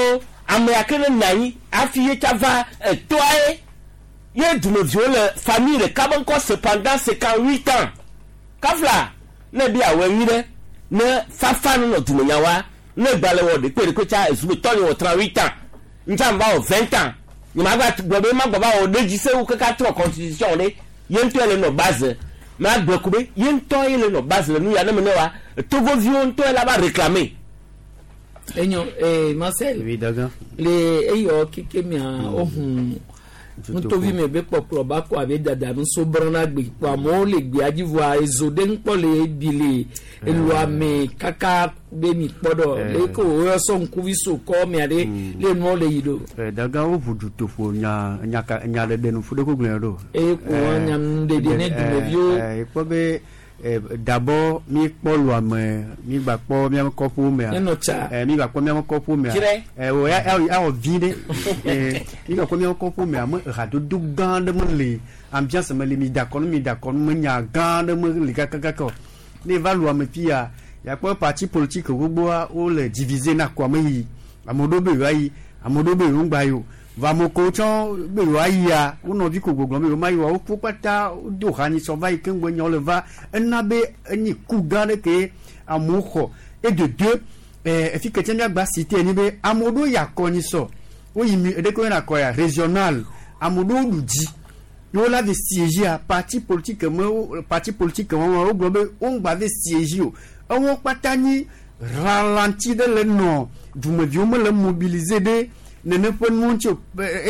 ame ya ke ne na anyi hafi ye tsa va etoa ye ye dumeviwo le famille ɖeka be ŋkɔ se pendant cinquante huit ans kafla ne bi awɔ enyi ɖe ne fafa ne nɔ dumenyawoa ne gbalẽ wɔ ɖekpe ɖekpe tsa ezu be tɔ nye wɔ trente huit ans ŋutsa va wɔ vingt ans nye ma gba gblɔ be ma gbɔ va wɔ ɖe dzi sewu kaka trɔ constitution ɖe ye ŋutɔ le nɔ base ma gblɔ ko be ye ŋutɔ ye le nɔ base le nu ya ne me ne wa togoviwo ŋutɔ la va réclamer. Enyo eh Marcel. Oui, d'accord. Le eyɔ keke mia ohun nutovi me be kpɔkplɔ ba kɔ abe dada nuso brɔna gbe kpɔ amewo le gbea dzi vɔa ezo ɖe ŋkpɔ le ebi le eluame kaka be mi kpɔ dɔ le ko woyɔ sɔ ŋkuvi so kɔ mia ɖe le nuwo le yi ɖo. Daga wo ʋu dutoƒo nya nya ka nya ɖeɖe nu fu ɖe ko gblẽ ɖo. Eye ko nya nuɖeɖe ne dumeviwo. Ekpɔ be d'abord mi kpɔ luame mi gba kpɔ miame kɔƒowo mea Nenɔ tsa. mi gba kpɔ miame kɔƒowo mea Dzrɛ. o ya awɔ vi ɖe mi gba kpɔ miame kɔƒowo mea me hadodo gã ɖe me le ambiance me le mi da kɔnu mi da kɔnu me nya gã ɖe me le kakakaka o ne va luame fia yakpɔ parti politique gbogboa wole diviser na kɔa me yi ame ɖewo be yewoa yi ame ɖewo be yewo ŋgba yi o va ame kewo tsɔ be yewoa yia wo nɔvi ko gbɔgblɔm be yewo ma yi oa wo kpata do ha nyisɔ va yi keŋgbe nyawo le va ena be enyi ku gã ɖe ke amewo xɔ et de deux ɛɛ efi ke tse miagba cité enyi be ame ɖewo yi akɔ nyisɔ woyi mi eɖeke woyina akɔ ya régional ame ɖewo ɖu dzi yewo la ve siège a parti politique me wo parti politique me wo gblɔ be wo ŋgba ve siège o ewo kpata nyi ralenti ɖe le nɔ dumeviwo mele mobiliser ɖe nene ƒe nu ŋuti o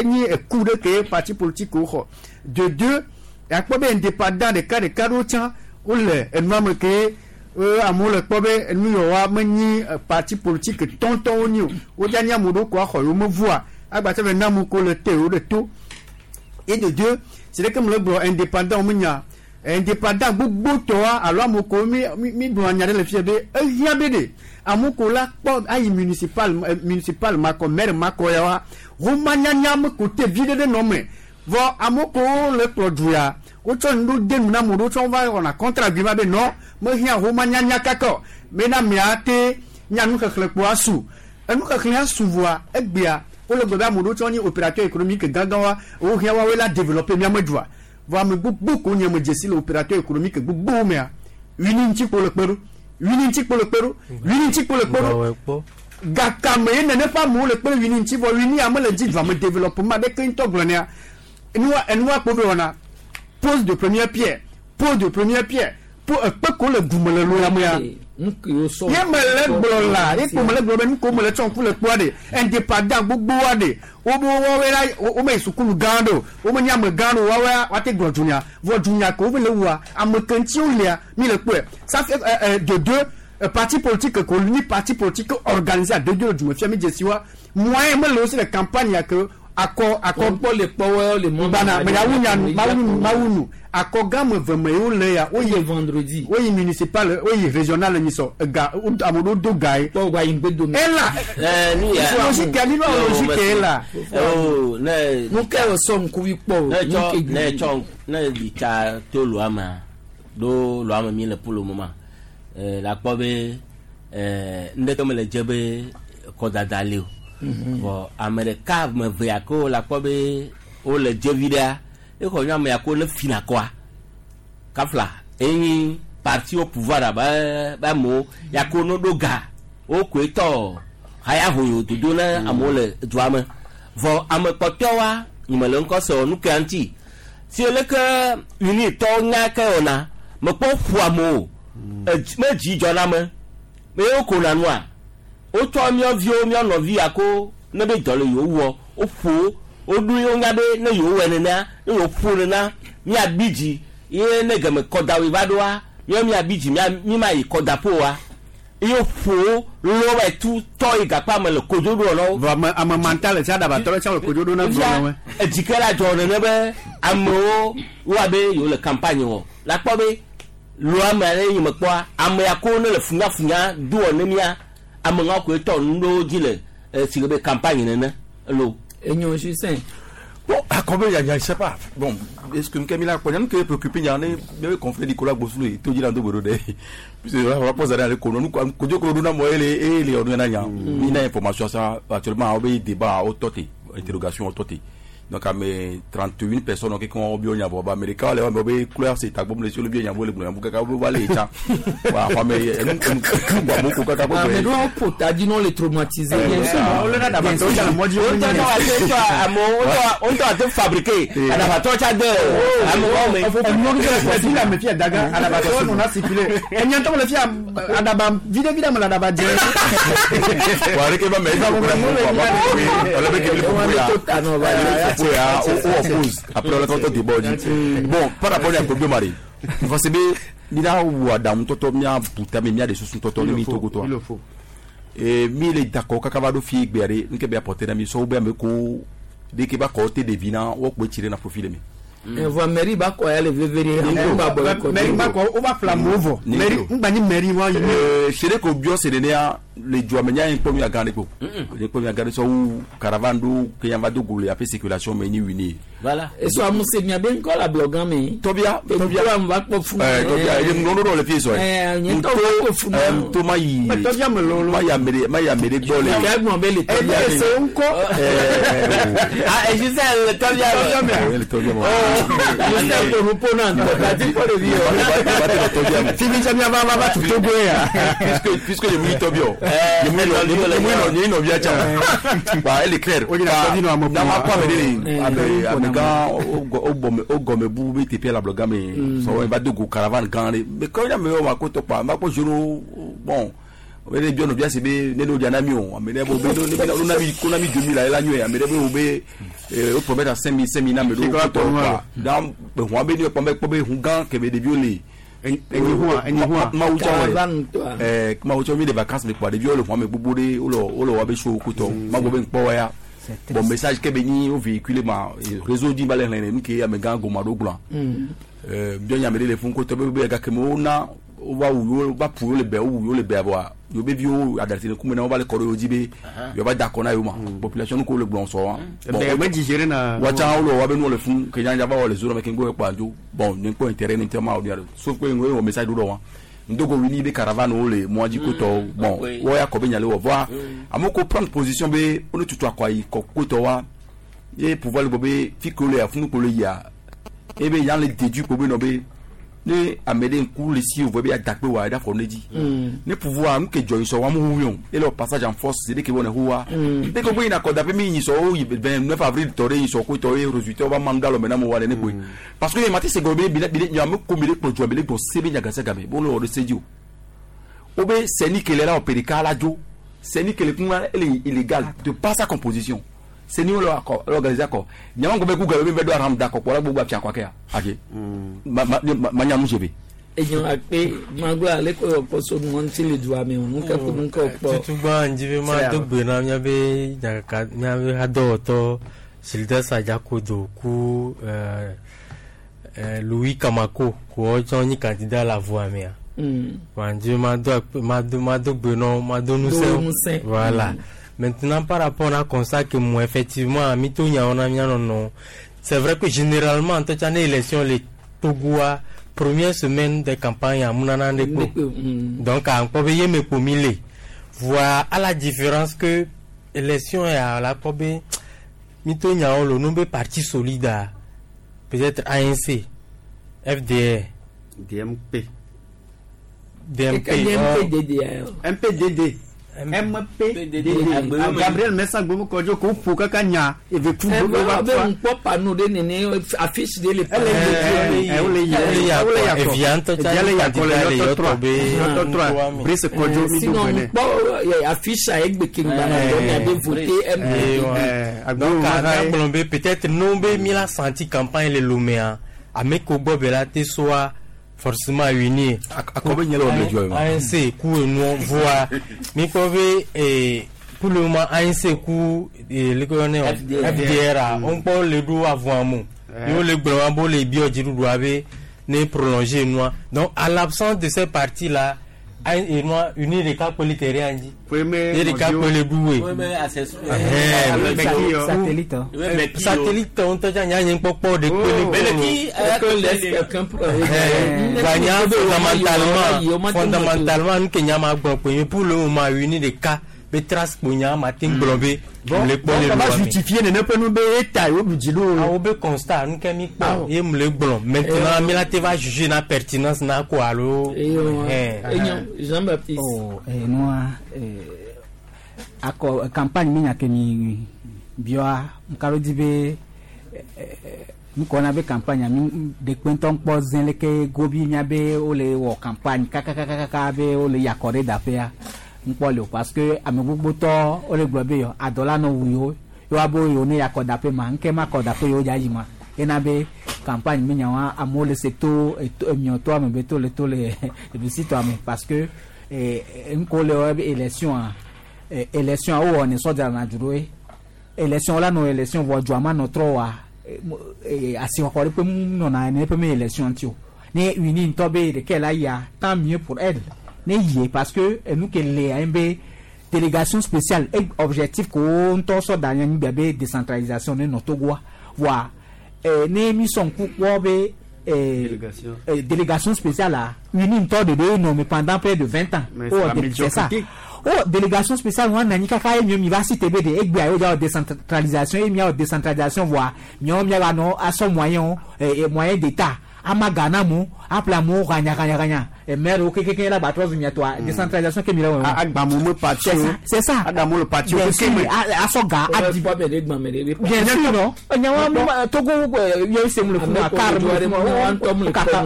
enyi eku ɖe ke parti politique wo xɔ de deux akpɔ be indépendant ɖeka ɖeka ɖewo tsã wole enua me ke amewo le kpɔ be enu yawoa menyi parti politique tɔntɔnwo nyi o wodza nyi ame ɖewo ko axɔ yewo mevua agbatsɛ be na amewo ko le te yewo ɖe to et de deux c'est vrai que me le gblɔ indépendant me nya indépendant gbogbo tɔa alo amewo ko mi mi gblɔ nya ɖe le fia be ehiã be ɖe amewo ko la kpɔ ayi municipal municipal makɔ maire makɔ ya wa womanyanya me ko te vi ɖe ɖe nɔ me vɔ amewo ko le kplɔ du ya wotsɔ nu ɖo de nu na amewo ɖo tsɔ va wɔna contre argument be nɔ mehiã womanyanya kaka o bena mia te nya nuxexlẽ kpo asu enuxexlẽ asu vɔa egbea wole gblɔ be ame ɖewo tsɔ nye opérateur économique gãgã wa wohiã woawoe la développer miame dua vɔ ame gbogbo ko nye me dzesi le opérateur économique gbogbowo mea wini ŋuti kpo le kpe ɖo wini ŋuti kpo le kpe ɖo wini ŋuti kpo le kpe ɖo gakame ye nene ƒe amewo le kpe ɖe wini ŋuti vɔ wini ame le dzi dua me développement aɖeke ŋutɔ gblɔ nea enua enua kpo be wɔna pose de première pierre pose de première pierre po ekpe ko le gume le lo ya mea ye me le gblɔ la ye ko me le gblɔ be nu ko me le tsɔ ŋku le kpɔa ɖe indépendant gbogboa ɖe wo be woawoe la wo me yi sukulu gã ɖe o wo me nye ame gã ɖe o woawoe woate gblɔ dunya vɔ dunya ke wo be le wua ame ke ŋuti wo lia mi le kpɔe ça fait euh, euh, de deux euh, parti politique ko ni parti politique organisé à deux deux le dume fia mi dzesi wa moyen me le wo si le campagne ya ke akɔ akɔ kpɔ le kpɔwɛ le mɔ bana mɛ yawu nya nu mawu nu mawu nu akɔ gã me ve me yewo le ya woyi vendredi woyi municipal woyi régional nyisɔ ega ame ɖewo do ga ye. kpɔ wa yi ŋgbe dome. ela logique ali ba logique ye la. ne nu ke wòsɔ ŋkuvi kpɔ o. ne tsɔ ne tsɔ ne ɖi tsa to lua mea ɖo lua me mi le polo me ma la kpɔ be ŋɖeke me le dze be kɔdada li o. Vɔ ame ɖeka ame eve ya ke la kpɔ be wole dze vi ɖea exɔ nye ame ya ke wole fina kɔa kafla enyi parti au pouvoir abe be amewo ya ke wono ɖo ga wokoe tɔ haya hoyo dodo ne amewo le dua me vɔ ame kpɔtɔwoa nye le ŋkɔ se o nu kea ŋuti si leke unitɔwo nya ke wɔna mekpɔ ƒu amewo me dzi dzɔ na me me ye wokona nua Wotsɔ míaviwo mía nɔvi yako ne be dɔ le yewo wɔ woƒo woɖo yewo nya be ne yewo wɔ nenea ne yewo ƒo nena míabi dzi ye ne geme kɔdawoe va ɖoa míawo míabi dzi mía mi ma yi kɔdaƒo wa ye woƒo lɔ va tu tɔ yi gakpa me le kodzo ɖo nɔ. Vɔ ame ame manta le sia ɖabatɔ le sia le kodzo ɖo na gblɔ me. Edzike la dzɔ nene be amewo woa be yewo le campagne wɔ la kpɔ be lɔ ame ale yi me kpɔa ame ya ko ne le funyafunya doɔ ne mía ame ŋa koe tɔ nu ɖewo dzi le si le be campagne nene lo. Enyo Justin. Bon, comme il y a, je sais pas. Bon, est-ce que nous avons qui est préoccupé, il y a un conflit Nicolas Gbossou et tout dit dans le puisque la rapport à l'école, nous nous avons et les on a une information ça actuellement on a débat au toté, interrogation au toté. Donc à mes trente et une personnes qui ont bien y avoir américain les ont couleur c'est tagbom les sur le bien y avoir le blanc kaka bo aller ça. Voilà, mais nous nous kaka Ah mais nous on peut t'as dit non les traumatiser bien sûr. On le a d'abord ça moi dit on on t'a te fabriquer adabato cha de amo mais on nous la me fia daga adabato on a circulé. Et nyanto le fia adaba vide vide me la daba je. Wa reke ba mais on oppose après on a débat. Bon, par rapport à Kobio Mari, parce que mira ou Adam toto mia buta mia de susun toto ni togo to. Et mi le d'accord kaka do fi gbere nke be apporter na mi so be me ko de ke ba ko te devina wo ko tirer na profil mi. Voa mairie ba ko ya le vevere ba boycott. Mairie ba ko o ba flamovo. Mairie ngba ni mairie wa yi. Euh chere ko bio se de ya le joamenya en pomi agane ko. Le pomi agane so ou caravane do ke yamba do gole après circulation mais ni wini. Voilà. Et so amuse mi aben ko la blogan mi. Tobia Tobia on va ko fu. Eh Tobia il no no le fi so. Eh nyen to ko fu. Eh to ma yi. Tobia me lolo. Ma ya mere ma ya mere gbole. Ke mo be le Tobia. Eh c'est unko. Ah et je sais le Tobia. Le Tobia. Je sais que nous prenons la dit pour le vieux. Fini jamais va va va tout Togo ya. Puisque puisque le mi Tobia. Le mi le mi no via cha. Bah elle est claire. Na ma pa me de abe abe gan o bom o gome bu B T P la bloga me so va de go caravane gan mais quand il y a me ma ko to pa ma ko joro bon on bien bien c'est bien ne no diana mi on mais bo be no na mi ko na mi deux mille la nyu mais be be o promettre à cinq mille cinq mille na me do ko to pa dan be ho be ni ko be ko be hu gan ke be de biole ma ou eh ma ou mi de vacances mais quoi de biole ho me gbogbo de o lo o lo wa be show ko to ma go be npo ya bon message ke be ni o véhicule ma réseau di balé ni ke ya me gan go ma do glan euh bien ya me le fun ko to be be ga ke mo na o va wu va pu le be wu le be abo yo be vio adalté ku mena va le koro di be yo va d'accord na yo ma population ko le blon so wa bon be digérer na wa cha o lo wa be no le fun ke janja va le zoro me ke ngo pa jo bon ni ko intérêt ni tema o ni sauf que ngo message do do wa ndogo wini be caravane o le mo di ko to bon wo ya ko be nyale wo voir amoko prendre position be onu tutu akwa yi ko ko to wa e pouvoir le be fi ko le afun ko le ya e be yan le déduit ko be no be ne amede nku le si o be adakpe wa da fo neji ne pouvoir nke join so wa mu huyon et le passage en force c'est que bon huwa de ko boina ko da pe mi so vingt-neuf avril tore so ko tore résultat va manda lo mena mo wa le ne ko parce que mati se gobe bi bi nya mo ko mi le ko jo mi le ko se be nya gasa game bon lo de sejo o be seni kelera o perika la jo seni kele kun elle est illégale de par sa composition seni lo accord l'organiser accord nya ngo be ku gabe be do aram d'accord ko la gbogbo afia kwa ke ake ma ma ma nya mu jebe eyan akpe magbo ale ko opo so nu won ti le du ame nu ke ko nu ke opo tutugba njibe ma dogbe na nya be nya nya be ado to Gildas Adjakodo ku euh Louis Kamako ko ojo ni candidat la voix mea mm njibe ma do ma do ma dogbe no ma do nu se voilà. Maintenant, par rapport à constat que moi, effectivement, mito nya ona nya non non. C'est vrai que généralement, en tout cas, l'élection, les Togoa, première semaine de campagne, à Mounana Ndeko. Donc, à encore payer mes pomilés. Voilà, à la différence que élection est à la probe, mito nya le nombre parti solide, peut-être A N C, F D R, D M P. D M P, M P D D. M P D D. M P D D Gabriel Messa Gbomo Kɔdzo ko ƒo kaka nya eve ku gbogbo va be ŋkpɔ panneau ɖe nene, affiche ɖe le. Wole yi wole yakɔ Evia ŋutɔ tsa evia le yakɔ le candidat le yɔtɔ yɔtɔ trois be yɔtɔ trois Brice Kɔdzo mi do Sinon gbɛnɛ. ŋkpɔ affiche a egbe ke ŋgbana dɔ mia be voter M P D D. Donc a gblɔ be peut-être no be mi la senti campagne le Lomea, ame ko gbɔ be la te soa forcément uni. Akɔ be nye le wɔ le dzɔ ye ma. A N C ku enu voa mi kpɔ be eh, pour le moment A N C ku eh, le ko yɔnɛ o F D R. F D R a on kpɔ le ɖo avɔa mo ye wo le gblɔ wa bo le biɔ dziɖuɖua be ne prolonger nua. Donc à l'absence de ces partis là, enua uni ɖeka kpe le terrain dzi ye ɖeka kpe le ɖu we. Satellite. Satellite ŋutɔ tsa nya nye kpɔkpɔ de kpe le gba nya fondamentalement fondamentalement nu ke nya ma gblɔ kpe pour le moment uni ɖeka be trace kpo nya ma te gblɔ be le kpɔ le va lua me. Justifier nene ƒe nu be eta yewo ɖu dzi ɖo. Awo be constat nu ke mi kpɔ ye mu le gblɔ maintenant mi la te va juger na pertinence na ko alo. Jean Baptiste. Oh, eh, nua eh, akɔ campagne mi nya ke mi bioa nkalo di be nukɔna be campagne mi ɖekpe ŋutɔ kpɔ zẽ leke gobi mia be wole wɔ campagne kakakakaka be wole yakɔ ɖe daƒea ŋkpɔ le o, parce que ame gbogbotɔ wole gblɔ be yɔ adɔ la nɔ wu yewo yewoa be yewo ne yakɔ daƒe ma ŋke ma kɔ daƒe yewo dza yi ma ena be campagne mi nyawa amewo le se to eto emiɔtɔ ame be to le to le ebisitɔ ame, parce que ŋkɔ le wɔ be élection a élection a wowɔ ne sɔdza na dzro ye élection la nɔ élection vɔ dzɔa ma nɔ trɔ wa asixɔxɔ ɖe ƒe mu nɔna ene ƒe me élection ŋuti o. Ne uni ŋutɔ be ɖeke la yia, tant mieux pour elle ne yie, parce que enu ke le anyi be délégation spéciale e objectif ko wo ŋutɔ sɔ da anyi gbe be décentralisation ne nɔ Togoa voa ne mi sɔ ŋku kpɔ be délégation, eh, délégation spéciale la uni ŋutɔ de ɖe nɔ me pendant près de vingt ans. Mais oh, c'est la c'est ça. médiocrité. Oh, délégation spéciale wọn nanyi kaka ye miɔ mi va si te be de egbea yewo dza wɔ décentralisation ye mia wɔ décentralisation voa miawo mia va nɔ asɔ moyen eh, eh, moyen d'état ama gana mu aƒle amewo hanya hanya hanya maire wo kekeke la gbatrɔ zu miatɔa décentralisation ke mi le wɔ. Agbamu me parti o. C'est ça. Adamu le parti o. Bien sûr, asɔ ga adi. Bien sûr, non nyawa mu Togo yɛ se mu le funu akar mu le funu kaka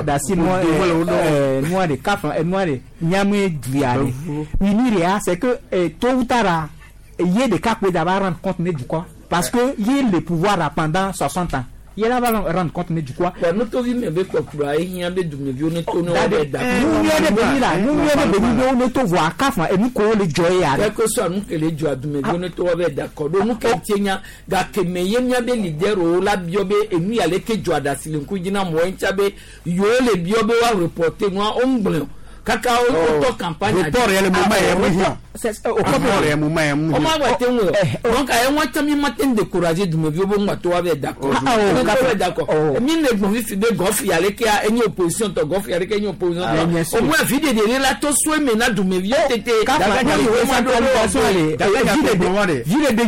dasi nua nua de kafa nua de nyame duya de uni de ya, c'est que tôt ou tard ye ɖeka kpe da va rendre compte ne dukɔ, parce que ye le pouvoir là pendant soixante ans, ye la va rendre compte ne dukɔ. Wa nutovi me be kpɔkplɔ ehiã be dumeviwo ne to ne wo bɛ da. Nu nyuie ɖe be nyi la nu nyuie ɖe be nyi be wo ne to voa kafa enu ko wo le dzɔ ye ya. Quel que soit nu ke le dzɔa, dumeviwo ne to wo bɛ da kɔ ɖo nu ke tie nya gake me ye mía be leaderwo la biɔ be enu ya le ke dzɔ aɖasi le ŋku dzi na mɔ ŋutia be yewo le biɔ be woa reporter nua wo ŋgblẽ o kaka wo tɔ campagne. Report yɛ le moment yɛ mu hiã. Report yɛ moment yɛ mu o ma hiã. gba te ŋu o, donc a ye ŋua tɛ mi ma te décourager dumeviwo be ŋua to wa bɛ d'accord ne to bɛ d'accord mi le gbɔn fifi be gɔfi ale ke enye opposition tɔ gɔfi ale ke enye opposition tɔ au moins vi de de la to so eme na dumeviwo tete. Kafa décentralisation le vi de de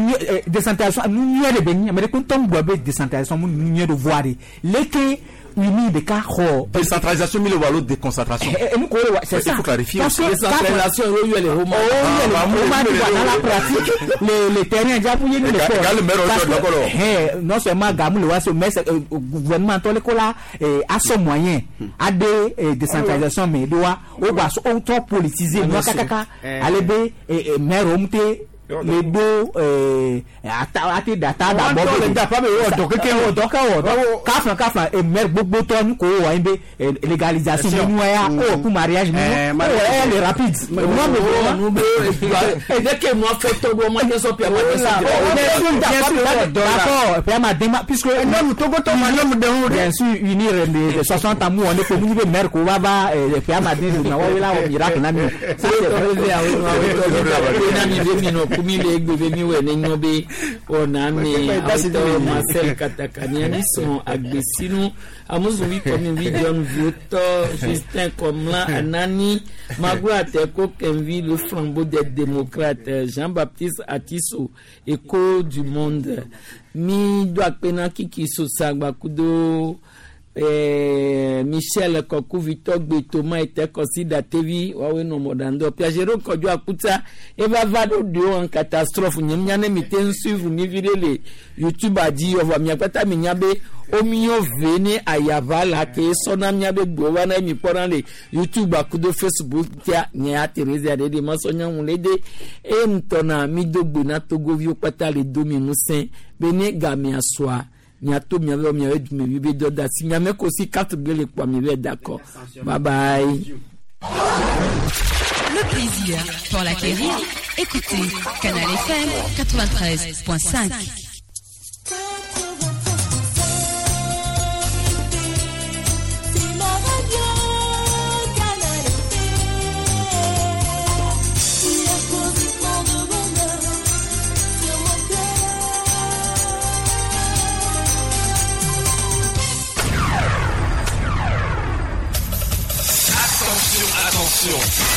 décentralisation nu nyuie de be nyi ame ɖe ŋutɔ ŋgblɔ be décentralisation mu nu nyuie de voa de leke uni ɖeka xɔ. Décentralisation mi le wɔ alo déconcentration. Enu ko le wa, c'est ça. Il faut clarifier. Parce que décentralisation wo yɛ le homa. O yɛ le homa ni wa dans la pratique le le terrain dza fu ye ni le fɔ. Parce que non seulement gamu le wa so mais gouvernement tɔ le ko la asɔ moyen ade décentralisation mais do wa o gba so o tɔ politiser nua kakaka ale be maire o mu te le do ata ate data da bɔ be da pa be wɔ dɔ keke wɔ dɔ kɛ wɔ dɔ kafla kafla maire gbogbo tɔ nu ko wɔ anyi be légalisation nínú ya o ku mariage nínú o yɛ le rapide. Nu be dès que nua fɛ tɔ do ma tɛ sɔn pia ma tɛ sɔn. D'accord, pia ma den ma puisque. Nɔmu togotɔ ma nɔmu den o. Bien sûr, unir les soixante ans mu wɔ ne ko mu be maire ko wa ba pia ma den na wa wela wɔ miracle na mi. Ça c'est vrai. Mi le egbe be mi wɔ ne nyɔ be ɔna me awutɔ Marcel Katakani ani sɔn agbesinu amuzuvi kɔmivi John Viotɔ Justin Kɔmla Anani Maglo Ateko Kenvi, le flambeau des démocrates, Jean-Baptiste Atiso, Écho du monde. Mi do akpena kiki sosagba kudo eh, mi Michel Kɔkuvitɔ Gbetoma ete kɔsi datevi woawoe nɔ mɔɖaŋdɔ Piagero Kɔdzo Akuta eva va ɖo ɖewo en catastrophe nye mía ne mi te ŋu suivre mi vi ɖe le YouTube dzi vɔa mia kpata mi nya be womiɔ ve ne ayaʋa la ke sɔna mía be gbewo va na mi kpɔna le YouTube kudo Facebook tia nye ya Theresa ɖe ɖe masɔ nyɔnu le de eye ŋutɔna mi do gbe na togoviwo kpata le do mi ŋusẽ be ne gamea sɔa miato miabe miabe dumevi be dɔ da si miame ko si carte bleue le kpɔa mi be d'accord bye bye. Le plaisir pour l'acquérir, écoutez Canal F M quatre-vingt-treize point cinq. Attention, attention.